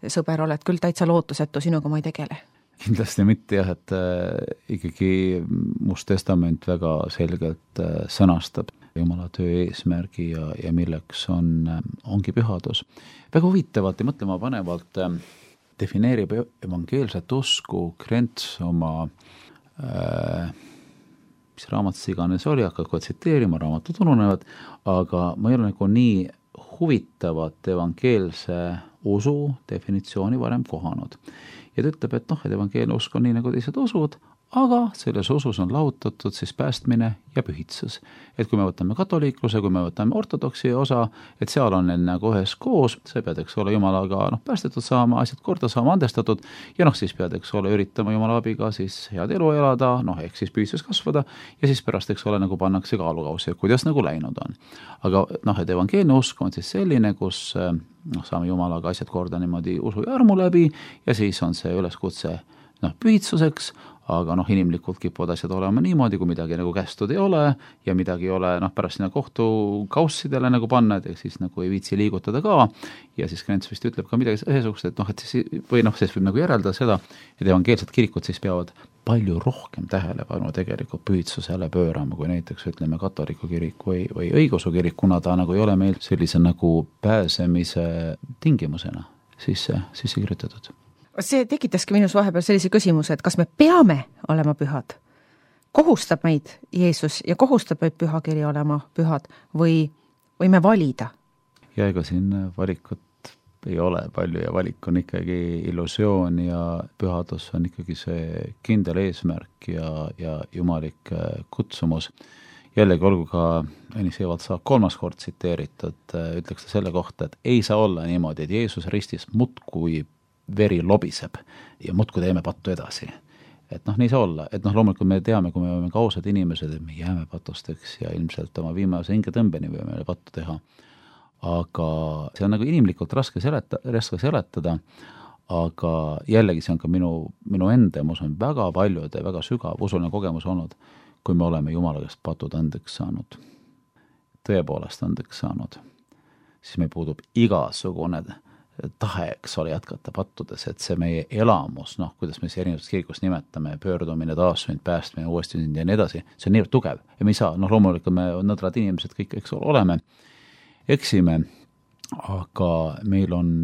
sõber, oled küll täitsa lootusetu, sinuga ma ei tegele. Kindlasti mitte jah, et äh, ikkagi Must Testament väga selgelt äh, sõnastab Jumala töö eesmärgi ja, ja milleks on, äh, ongi pühadus. Väga huvitavalt ja mõtlema panevalt äh, defineerib evangeelset usku Krents oma äh, mis raamatus iganes oli, hakkad kohe tsiteerima, raamatud ununevad, aga ma ei ole nagu nii huvitavat evangeelse usu definitsiooni varem kohanud. Ja ta ütleb, et noh, et evangeelne usk on nii nagu teised usud, aga selles usus on lahutatud siis päästmine ja pühitsus. Et kui me võtame katoliikluse, kui me võtame ortodoksi osa, et seal on neil nagu ühes koos, see pead, eks ole, Jumalaga noh, päästetud saama, asjad korda saama, andestatud ja noh, siis pead, eks ole, üritama Jumala abiga siis head elu elada, noh, ehk siis pühitsus kasvada ja siis pärast, eks ole, nagu pannakse kaalukausi, kuidas nagu läinud on. Aga noh, et evangeelne usk on siis selline, kus noh, saame Jumalaga asjad korda niimoodi usu ja armu läbi ja siis on see üleskutse noh, pühitsuseks, aga noh, inimlikult kipuvad asjad olema niimoodi, kui midagi nagu kästud ei ole ja midagi ei ole noh, pärast sinna kohtu kaussidele nagu panna, et siis nagu ei viitsi liigutada ka ja siis Krents vist ütleb ka midagi ühesugust, et noh, et siis, või noh, siis võib nagu järeldada seda, et evangeelsed kirikud siis peavad palju rohkem tähelepanu tegelikult pühitsusele pöörama, kui näiteks ütleme katoliku kirik või, või õigeusu kirik, kuna ta nagu ei ole meil sellise nagu pääsemise tingimusena sisse, sisse kirjutatud. See tekitaski minus vahepeal sellise küsimuse, et kas me peame olema pühad? Kohustab meid Jeesus ja kohustab meid pühakiri olema pühad või võime valida? Ja ega siin valikut ei ole palju ja valik on ikkagi illusioon ja pühadus on ikkagi see kindel eesmärk ja, ja jumalik kutsumus. Jällegi olgu ka Ennis Evald saab kolmas kord tsiteeritud, ütleks ta selle kohta, et ei saa olla niimoodi, et Jeesus ristis mutkui veri lobiseb ja muudkui teeme pattu edasi. Et noh, nii saa olla, et noh, loomulikult me teame, kui me oleme kausad inimesed, et me jääme patusteks ja ilmselt oma viimase hingetõmbeni võime pattu teha. Aga see on nagu inimlikult raske seleta, raske seletada, aga jällegi see on ka minu, minu enda, ma usun, väga paljude, väga sügav usuline kogemus olnud, kui me oleme Jumala käest patud andeks saanud, tõepoolest andeks saanud, siis meil puudub igasugune tahe, eks ole, jätkata pattudes, et see meie elamus, noh, kuidas me see erinevates kirikus nimetame, pöördumine, taasünd, päästmine, uuesti sünd ja nii edasi, see on nii tugev ja me ei saa, noh, loomulikult me nõdrad inimesed kõik, eks ole, oleme, eksime, aga meil on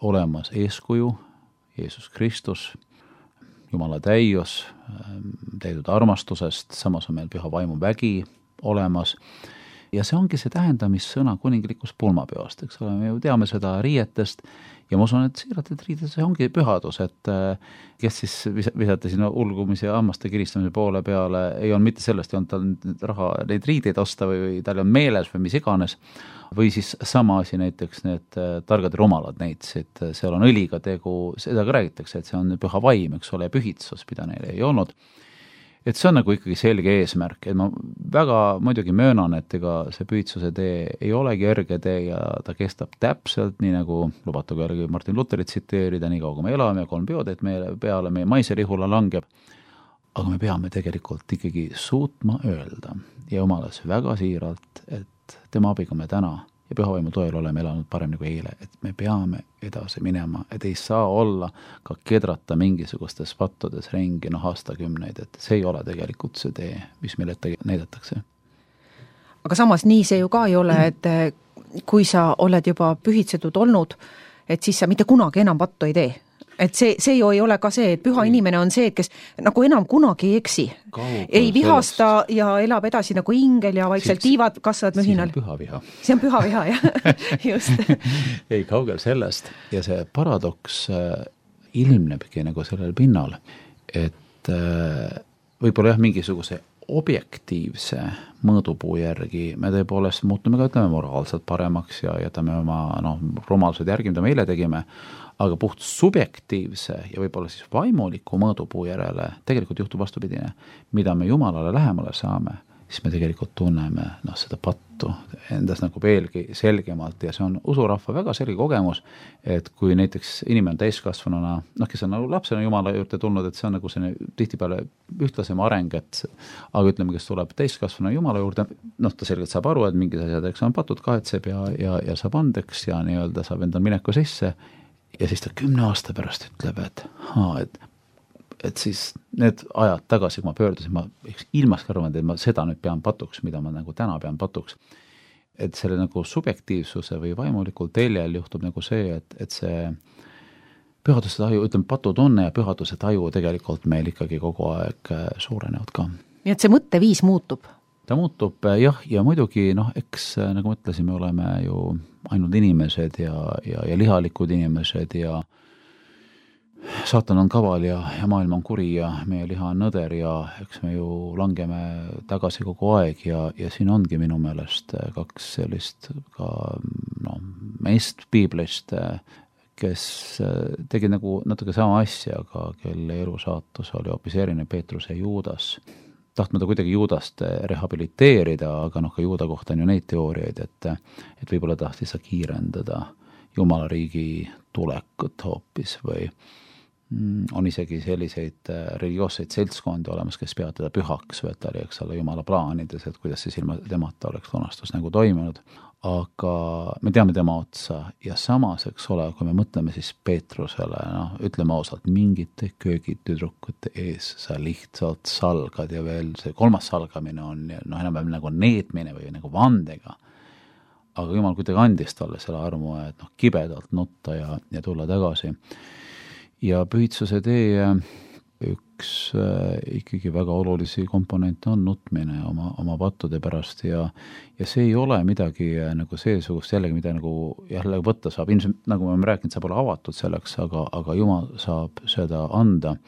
olemas eeskuju, Jeesus Kristus, Jumala täius, täidud armastusest, samas on meil püha vaimu vägi olemas. Ja see ongi see tähendamissõna kuninglikus pulmapeost, eks ole, me ju teame seda riietest ja ma usun, et siiralt, et riides see ongi pühadus, et kes siis visati sinna ulgumise ja hammaste kiristamise poole peale, ei olnud mitte sellest, ei olnud tal raha neid riideid osta või, või tal on meeles või mis iganes, või siis sama asi näiteks need targad rumalad neitsid, seal on õliga tegu, seda ka räägitakse, et see on püha vaim, eks ole, pühitsus, mida neil ei olnud. Et see on nagu ikkagi selge eesmärk, et ma väga muidugi möönan, et ega see pühitsuse tee ei olegi erge tee ja ta kestab täpselt, nii nagu lubatagu järgi Martin Lutherit tsiteerida, nii kaua kui me elame ja kolm peoteed meie peale, meie maiserihula langeb, aga me peame tegelikult ikkagi suutma öelda ja Jumalas väga siiralt, et tema abiga me täna ja pühavaimu toel oleme elanud parem nagu eile, et me peame edasi minema, et ei saa olla ka kedrata mingisugustes pattudes ringi noh aastakümneid, et see ei ole tegelikult see tee, mis meil ette näidatakse. Aga samas nii see ju ka ei ole, et kui sa oled juba pühitsetud olnud, et siis sa mitte kunagi enam pattu ei tee. et see, see ju ei ole ka see, et püha inimene on see, kes nagu enam kunagi ei eksi. Kaugel ei vihasta sellest. Ja elab edasi nagu ingel ja vaikselt tiivad kasvavad mühinal. See on püha viha. See on püha viha, jah. Just. ei, kaugel sellest. Ja see paradoks äh, ilmnebki nagu sellel pinnal, et äh, võib-olla jah, mingisuguse objektiivse mõõdupuu järgi me tõepoolest muutume ka, ütleme, moraalselt paremaks ja jätame oma noh, rumalsed järgi, mida meile tegime, aga puht subjektiivse ja võib-olla siis vaimuliku mõõdupuu järele tegelikult juhtub vastupidine. Mida me Jumalale lähemale saame, siis me tegelikult tunneme noh, seda pattu endas nagu veelgi selgemalt ja see on usurahva väga selge kogemus, et kui näiteks inimene on täiskasvanuna, noh, kes on nagu lapsena Jumala juurde tulnud, et see on nagu selline tihtipeale ühtlasem areng, et aga ütleme, kes tuleb täiskasvanuna Jumala juurde, noh, ta selgelt saab aru, et mingid asjad, eks on patud, kahetseb ja, ja, ja saab andeks ja nii-öelda saab endal mineku sisse ja siis ta kümne aasta pärast ütleb, et haa, et et siis need ajad tagasi, kui ma pöördusin, ma ilmaski arvan, et ma seda nüüd pean patuks, mida ma nagu täna pean patuks. Et selle nagu subjektiivsuse või vaimulikul teljel juhtub nagu see, et, et see pühaduse taju, ütleme, patutunne ja pühaduse taju tegelikult meil ikkagi kogu aeg suurenevad ka. Nii et see mõtteviis muutub? Ta muutub, jah, ja muidugi, noh, eks nagu mõtlesime, oleme ju ainult inimesed ja, ja, ja lihalikud inimesed ja saatan on kaval ja, ja maailm on kuri ja meie liha on nõder ja eks me ju langeme tagasi kogu aeg ja, ja siin ongi minu meelest kaks sellist ka no, meist piiblist, kes tegi nagu natuke sama asja, aga kelle elusaatus oli hoopis erinev, Peetrus ja Juudas. Tahtma ta kuidagi Juudast rehabiliteerida, aga noh, ka Juuda kohta on ju neid teooriaid, et, et võib-olla tahtis sa kiirendada Jumala riigi tulekut hoopis või on isegi selliseid religioosseid seltskondi olemas, kes peavad teda pühaks, või et ta oli, eks ole, Jumala plaanides, et kuidas siis ilma temata oleks lunastus nagu toimunud. Aga me teame tema otsa ja samas, eks ole, kui me mõtleme siis Peetrusele, noh, ütleme ausalt, mingite köögitüdrukute ees sa lihtsalt salgad ja veel see kolmas salgamine on noh, enam nagu neetmine või nagu vandega. Aga Jumal kuidagi andis talle selle armu, et noh, kibedalt nutta ja, ja tulla tagasi. Ja pühitsuse tee üks äh, ikkagi väga olulisi komponente on nutmine oma, oma pattude pärast ja, ja see ei ole midagi äh, nagu seesugust jällegi, mida nagu jälle võtta saab. Ilmselt, nagu me oleme rääkinud, saab olla avatud selleks, aga, aga Jumal saab seda anda.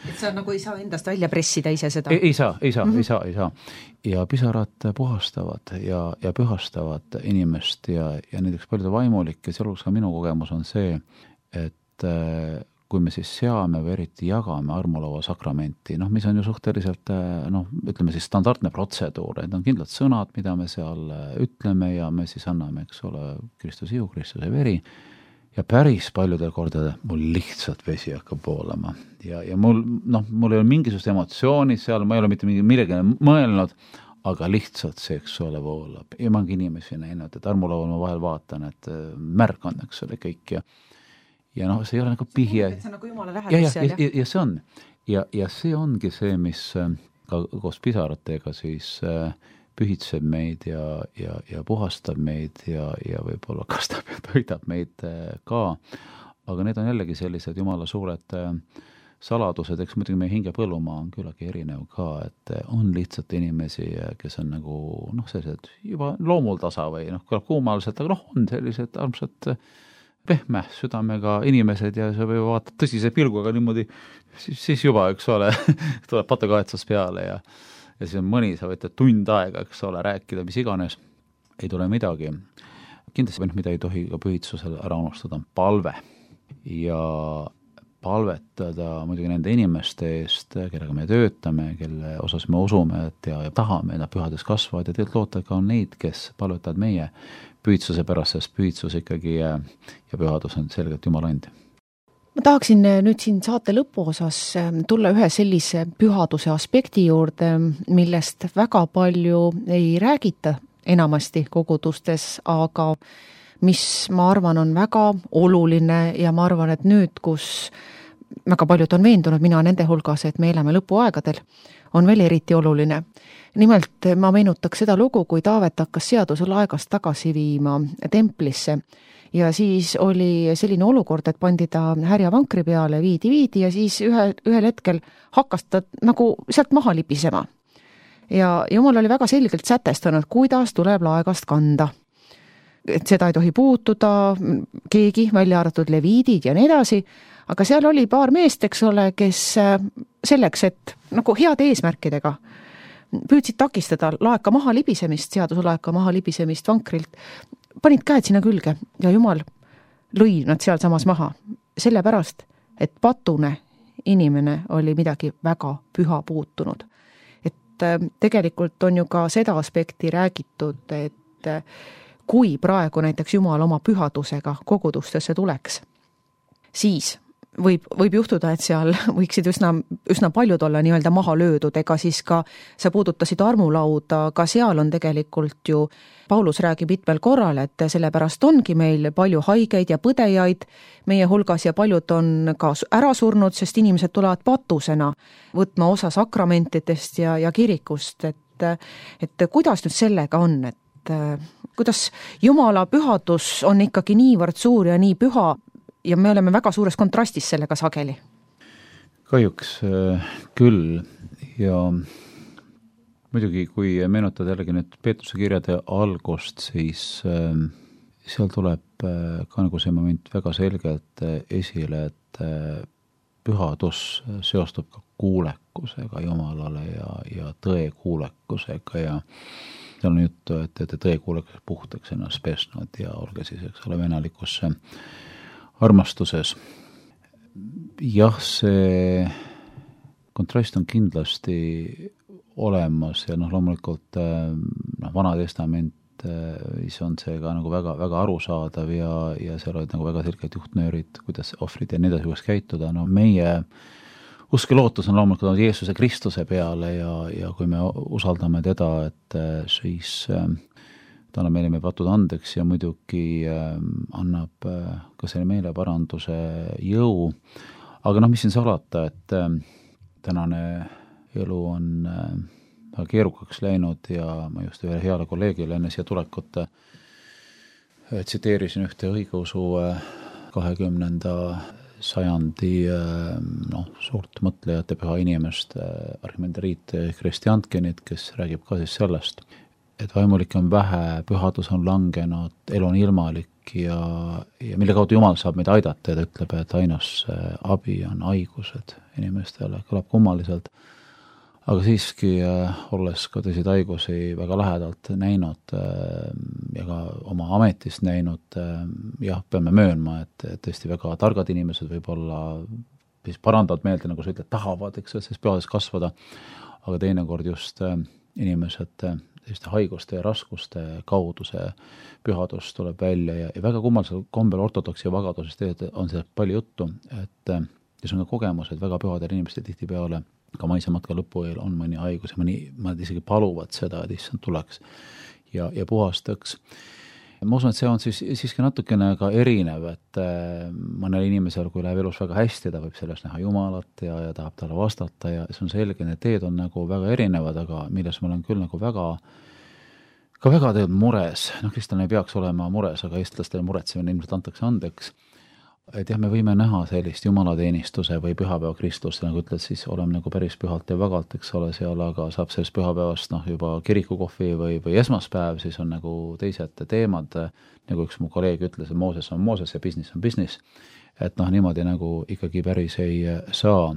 Et sa nagu ei saa endast välja pressida ise seda? Ei, ei saa, ei saa, mm-hmm. ei saa, ei saa. Ja pisarad puhastavad ja, ja pühastavad inimest ja, ja näiteks paljude vaimulik ja sealhulgas ka minu kogemus on see, et äh, kui me siis seame või eriti jagame armulaua sakramenti, noh, mis on ju suhteliselt, noh, ütleme siis standardne protseduur, et on kindlad sõnad, mida me seal ütleme ja me siis anname, eks ole, Kristuse ihu, Kristuse veri ja päris paljudel kordadel mul lihtsalt vesi hakkab voolama ja, ja mul, noh, mul ei ole mingisugust emotsiooni seal, ma ei ole mitte mingi millegi mõelnud, aga lihtsalt see, eks ole, voolab ja ma ongi inimesi näinud, et armulaual ma vahel vaatan, et märk on, eks ole, kõik ja ja noh, see ei ole nagu pihje. See on nagu Jumala lähedus ja, seal, ja, ja, ja see on. Ja, ja see ongi see, mis ka koos pisaratega siis pühitseb meid ja, ja, ja puhastab meid ja, ja võib-olla kastab ja toidab meid ka. Aga need on jällegi sellised Jumala suured saladused, eks muidugi meie hinge põllumaa on küllagi erinev ka, et on lihtsalt inimesi, kes on nagu noh, sellised juba loomul tasa või noh, kõlab kuumaliselt, aga noh, on sellised armsad pehme südamega inimesed ja sa või vaatad tõsise pilguga niimoodi, siis, siis juba, eks ole, tuleb patukahetsus peale ja, ja siis on mõni, sa võid tund aega, eks ole, rääkida, mis iganes, ei tule midagi. Kindlasti, mida ei tohi ka pühitsusel ära unustada, on palve ja palvetada muidugi nende inimeste eest, kellega me töötame, kelle osas me usume, et ja, ja tahame, nad pühades kasvavad ja tegelikult loota ka on neid, kes palvetavad meie pühitsuse pärast, sest pühitsus ikkagi ja pühadus on selgelt Jumala andi. Ma tahaksin nüüd siin saate lõpuosas tulla ühe sellise pühaduse aspekti juurde, millest väga palju ei räägita enamasti kogudustes, aga mis ma arvan on väga oluline ja ma arvan, et nüüd, kus väga paljud on veendunud, mina nende hulgas, et me elame lõpuaegadel, on veel eriti oluline. Nimelt ma meenutaks seda lugu, kui Taavet hakkas seaduse laegast tagasi viima templisse ja siis oli selline olukord, et pandi ta härja vankri peale, viidi, viidi ja siis ühe, ühel hetkel hakkas ta nagu sealt maha libisema. Ja Jumal oli väga selgelt sätestanud, kuidas tuleb laegast kanda. Et seda ei tohi puutuda, keegi, välja arvatud leviidid ja nii edasi, aga seal oli paar meest, eks ole, kes selleks, et nagu heade eesmärkidega püüdsid takistada laeka maha libisemist, seaduselaeka maha libisemist vankrilt, panid käed sinna külge ja Jumal lõi nad seal samas maha. Sellepärast, et patune inimene oli midagi väga püha puutunud. Et tegelikult on ju ka seda aspekti räägitud, et kui praegu näiteks Jumal oma pühadusega kogudustesse tuleks, siis võib, võib juhtuda, et seal võiksid üsna, üsna paljud olla nii-öelda maha löödud, ega siis ka sa puudutasid armulauda, ka seal on tegelikult ju, Paulus räägib mitmel korral, et sellepärast ongi meil palju haigeid ja põdejaid meie hulgas ja paljud on ka ära surnud, sest inimesed tulevad patusena võtma osa sakramentidest ja, ja kirikust, et, et kuidas nüüd sellega on, et kuidas Jumala pühadus on ikkagi niivõrd suur ja nii püha ja me oleme väga suures kontrastis sellega sageli? Kahjuks küll ja muidugi, kui meenutad jällegi nüüd Peetruse kirjade algust, siis seal tuleb ka nagu see moment väga selgelt esile, et pühadus seostub ka kuulekusega Jumalale ja, ja tõe kuulekusega ja seal on juttu, et te tõe kuulekus puhtaks ennast pesnud ja olge siis, eks ole, venelikus armastuses. Jah, see kontrast on kindlasti olemas ja noh, loomulikult noh, Vana Testament siis on see ka nagu väga, väga arusaadav ja, ja seal olid nagu väga selged juhtnöörid, kuidas ohvrid ja nii edasi võiks käituda. No meie usk ja lootus on loomulikult Jeesuse Kristuse peale ja, ja kui me usaldame teda, et siis ta annab meile meie patud andeks ja muidugi annab ka selle meeleparanduse jõu. Aga noh, mis siin salata, et tänane elu on väga keerukaks läinud ja ma just ühe heale kolleegile enne siia tulekut tsiteerisin ühte õigeusu kahekümnenda sajandi noh, suurt mõtlejate püha inimest Arhimandriit Kristjantkenit, kes räägib ka siis sellest, et vaimulik on vähe, pühadus on langenud, elu on ilmalik ja, ja mille kaudu Jumal saab meid aidata ja ta ütleb, et ainus abi on haigused inimestele, kõlab kummaliselt. Aga siiski, olles ka tõsid haigusi väga lähedalt näinud ja ka oma ametist näinud, jah, peame möönma, et tõesti väga targad inimesed võib-olla siis parandavad meelde, nagu sa ütled, tahavad, eks, et siis pühades kasvada, aga teinekord just inimesed selliste haiguste ja raskuste kaudu see pühadus tuleb välja ja, ja väga kummalisel kombel ortodoksi ja vagadusest on see palju juttu, et ja see on ka kogemus, et väga pühadel inimestel tihtipeale ka maisematka lõpu eel on mõni haigus ja mõni, mõned isegi paluvad seda, et issand tuleks ja, ja puhastaks. Ma usun, et see on siis siiski natukene ka erinev, et mõnel inimesel, kui läheb elus väga hästi, ta võib sellest näha Jumalat ja, ja tahab talle vastata ja see on selge, need teed on nagu väga erinevad, aga milles ma olen küll nagu väga ka väga teed mures, noh, kristlane ei peaks olema mures, aga eestlastele muretsemine ilmselt antakse andeks. Et jah, me võime näha sellist jumalateenistuse või pühapäeva Kristust, nagu ütled, siis oleme nagu päris pühalt ja vagalt, eks ole seal, aga saab sellest pühapäevast noh, juba kirikukohvi või, või esmaspäev, siis on nagu teised teemad, nagu üks mu kolleeg ütles, et Mooses on Mooses ja business on business, et noh, niimoodi nagu ikkagi päris ei saa,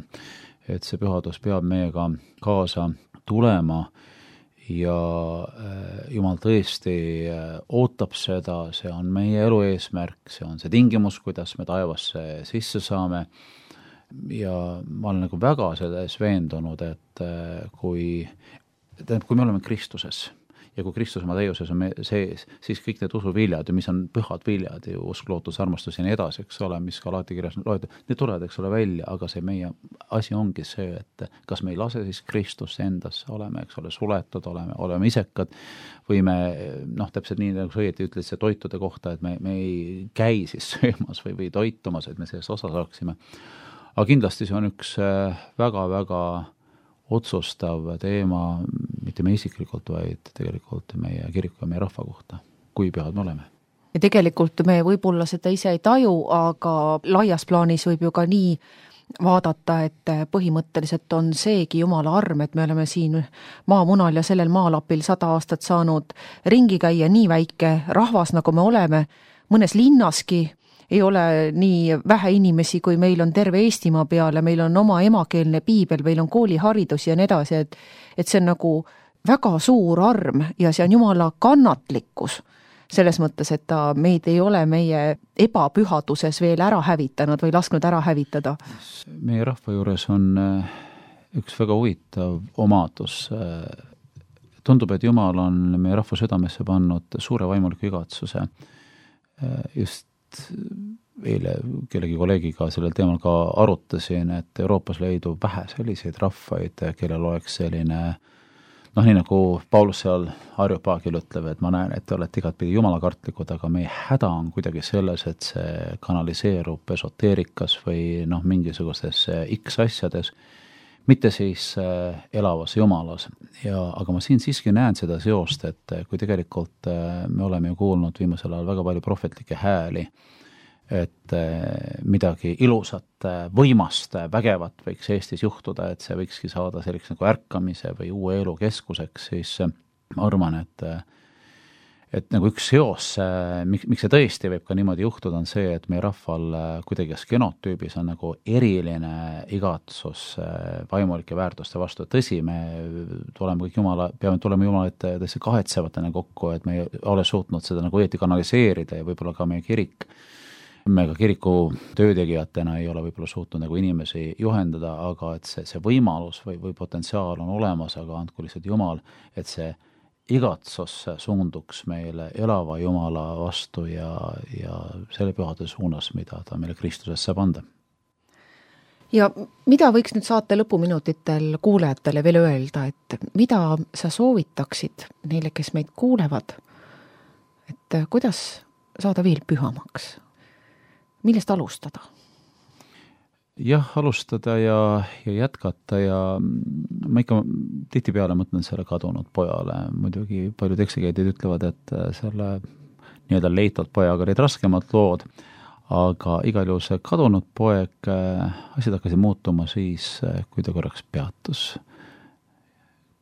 et see pühadus peab meiega kaasa tulema ja Jumal tõesti ootab seda, see on meie elu eesmärk, see on see tingimus, kuidas me taevasse sisse saame ja ma olen nagu väga selles veendunud, et kui, kui me oleme Kristuses ja kui Kristus oma täiuses on sees, siis kõik need usuviljad, mis on pühad viljad, usk, lootus, armastus ja nii edasi, eks ole, mis ka alati kirjas loetud, need tulevad, eks ole, välja, aga see meie asi ongi see, et kas me ei lase siis Kristust endasse, oleme, eks ole, suletud, oleme, oleme isekad või me, noh, täpselt nii, nagu sa õieti ütled see toitude kohta, et me, me ei käi siis söömas või, või toitumas, et me sellest osa saaksime. aga kindlasti see on üks väga-väga otsustav teema, mitte me isiklikult, vaid tegelikult meie kiriku ja meie rahva kohta, kui pühad me oleme. Ja tegelikult me võib-olla seda ise ei taju, aga laias plaanis võib ju ka nii vaadata, et põhimõtteliselt on seegi Jumala arm, et me oleme siin maamunal ja sellel maalapil sada aastat saanud ringi käia, nii väike rahvas, nagu me oleme, mõnes linnaski ei ole nii vähe inimesi, kui meil on terve Eestimaa peale, meil on oma emakeelne piibel, meil on kooliharidus ja nii edasi, et, et see on nagu väga suur arm ja see on Jumala kannatlikkus selles mõttes, et ta meid ei ole meie ebapühaduses veel ära hävitanud või lasknud ära hävitada. Meie rahva juures on üks väga huvitav omadus. Tundub, et Jumal on meie rahva südamesse pannud suure vaimuliku igatsuse. Just eile kellegi kolleegiga sellel teemal ka arutasin, et Euroopas leidub vähe selliseid rahvaid, kellel oleks selline, noh, nii nagu Paulus seal Areopaagil ütleb, et ma näen, et te olete igatpidi jumalakartlikud, aga meie häda on kuidagi selles, et see kanaliseerub esoteerikas või noh, mingisugustes X asjades, mitte siis elavas jumalas. Ja, aga ma siin siiski näen seda seost, et kui tegelikult me oleme ju kuulnud viimasel ajal väga palju prohvetlikke hääli, et midagi ilusat, võimast, vägevat võiks Eestis juhtuda, et see võikski saada selliseks nagu ärkamise või uue elu keskuseks, siis ma arvan, et et nagu üks seos, miks, miks see tõesti võib ka niimoodi juhtuda, on see, et meie rahval kuidagi genotüübis on nagu eriline igatsus vaimulike väärtuste vastu. Tõsi, me tuleme kõik Jumala, peame tulema Jumala ette tõesti kahetsevatena kokku, et me ei ole suutnud seda nagu õieti kanaliseerida ja võib-olla ka meie kirik, me ka kiriku töötegijatena ei ole võib-olla suutnud nagu inimesi juhendada, aga et see, see võimalus või, või potentsiaal on olemas, aga andku lihtsalt Jumal, et see igatsus suunduks meile elava Jumala vastu ja, ja selle pühade suunas, mida ta meile Kristuses saab anda. Ja mida võiks nüüd saate lõpuminutitel kuulajatele veel öelda, et mida sa soovitaksid neile, kes meid kuulevad, et kuidas saada veel pühamaks? Millest alustada? Jah, alustada ja, ja jätkata ja ma ikka tihtipeale mõtlen selle kadunud pojale. Muidugi paljud eksegeedid ütlevad, et selle nii-öelda leitalt pojaga olid raskemad lood, aga igal juhul see kadunud poeg, asjad hakkasid muutuma siis, kui ta korraks peatus.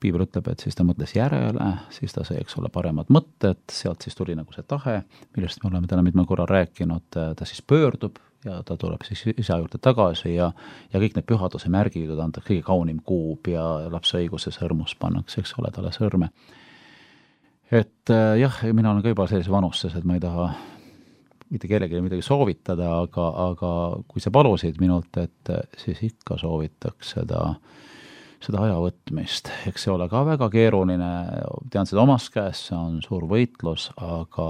Piibel ütleb, et siis ta mõtles järele, siis ta sai, eks ole, paremad mõtted, sealt siis tuli nagu see tahe, millest me oleme täna mitmel korral rääkinud, ta siis pöördub ja ta tuleb siis isa juurde tagasi ja, ja kõik need pühaduse märgid, ta antakse kõige kaunim kuub ja lapse õiguse sõrmus pannakse, eks ole, talle sõrme. Et jah, mina olen ka juba sellise vanuses, et ma ei taha mitte kellelegi midagi soovitada, aga, aga kui sa palusid minult, et siis ikka soovitaks seda seda aja võtmist. Eks see ole ka väga keeruline, tean seda omas käes, see on suur võitlus, aga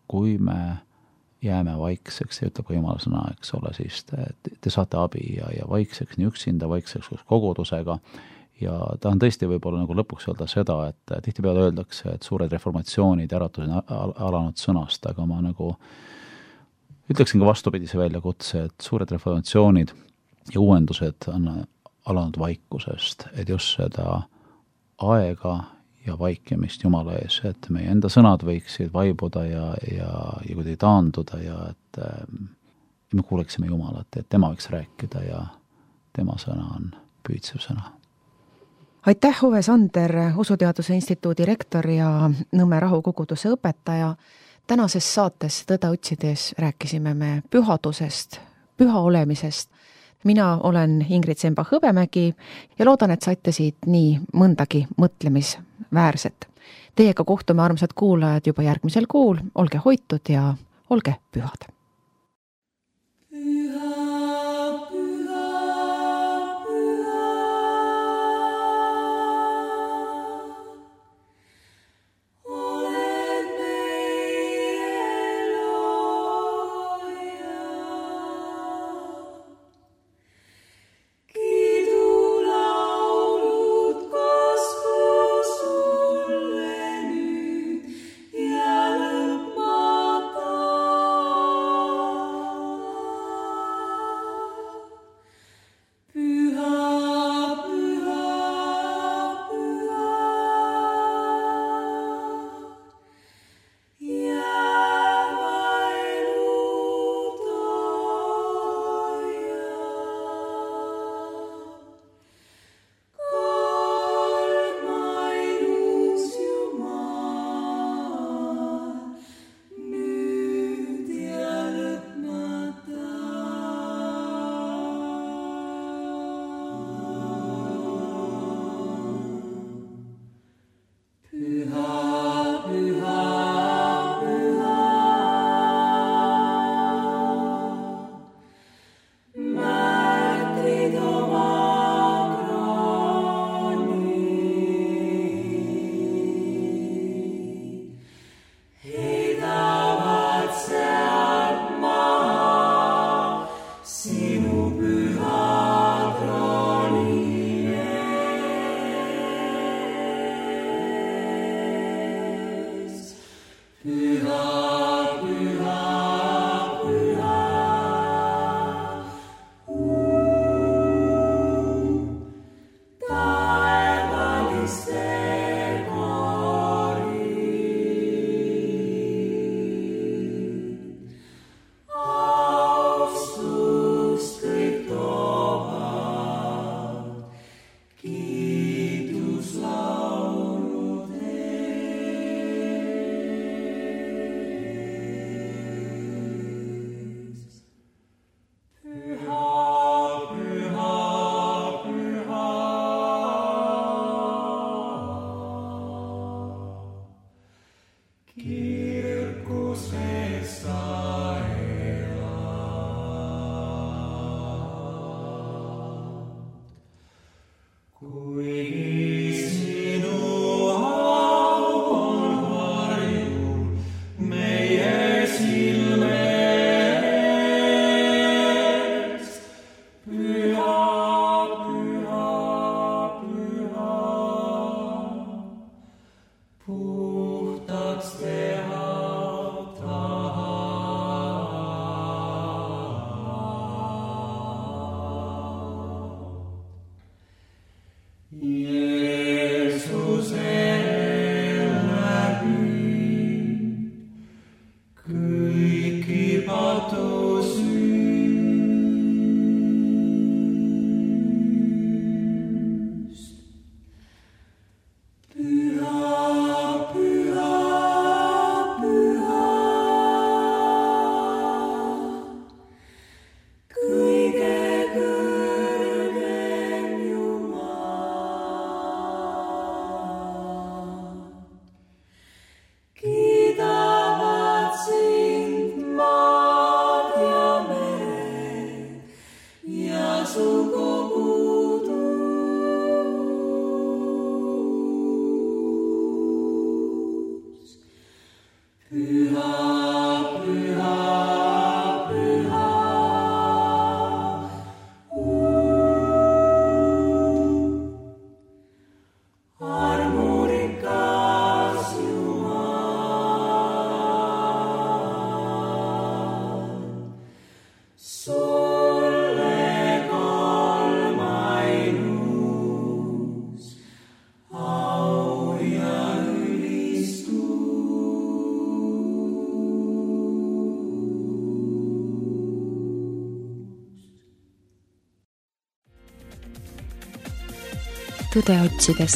kui me jääme vaikseks, see ütleb ka Jumala sõna, eks ole, siis te, te saate abi ja, ja vaikseks nii üksinda, vaikseks kogudusega ja ta on tõesti võib-olla nagu lõpuks öelda seda, et tihtipeale öeldakse, et suured reformatsioonid äratused on alanud sõnast, aga ma nagu ütleksin ka vastupidise väljakutse, et suured reformatsioonid ja uuendused on alanud vaikusest, et just seda aega ja vaikimist Jumala ees, et meie enda sõnad võiksid vaibuda ja, ja, ja kuidagi taanduda ja et äh, me kuuleksime Jumalat, et tema võiks rääkida ja tema sõna on püüdsev sõna. Aitäh, Uwe Sander, Usuteaduse Instituudi rektor ja Nõmme rahukoguduse õpetaja. Tänases saates Tõde otsides rääkisime me pühadusest, püha olemisest. Mina olen Ingrid Semba-Hõbemägi ja loodan, et saite siit nii mõndagi mõtlemisväärset. Teiega kohtume, armsad kuulajad, juba järgmisel kuul. Olge hoitud ja olge pühad. Ja lõpmata Tõde otsides.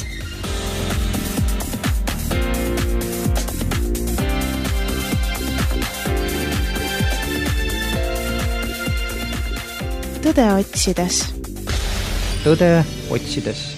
Tõde otsides. Tõde otsides.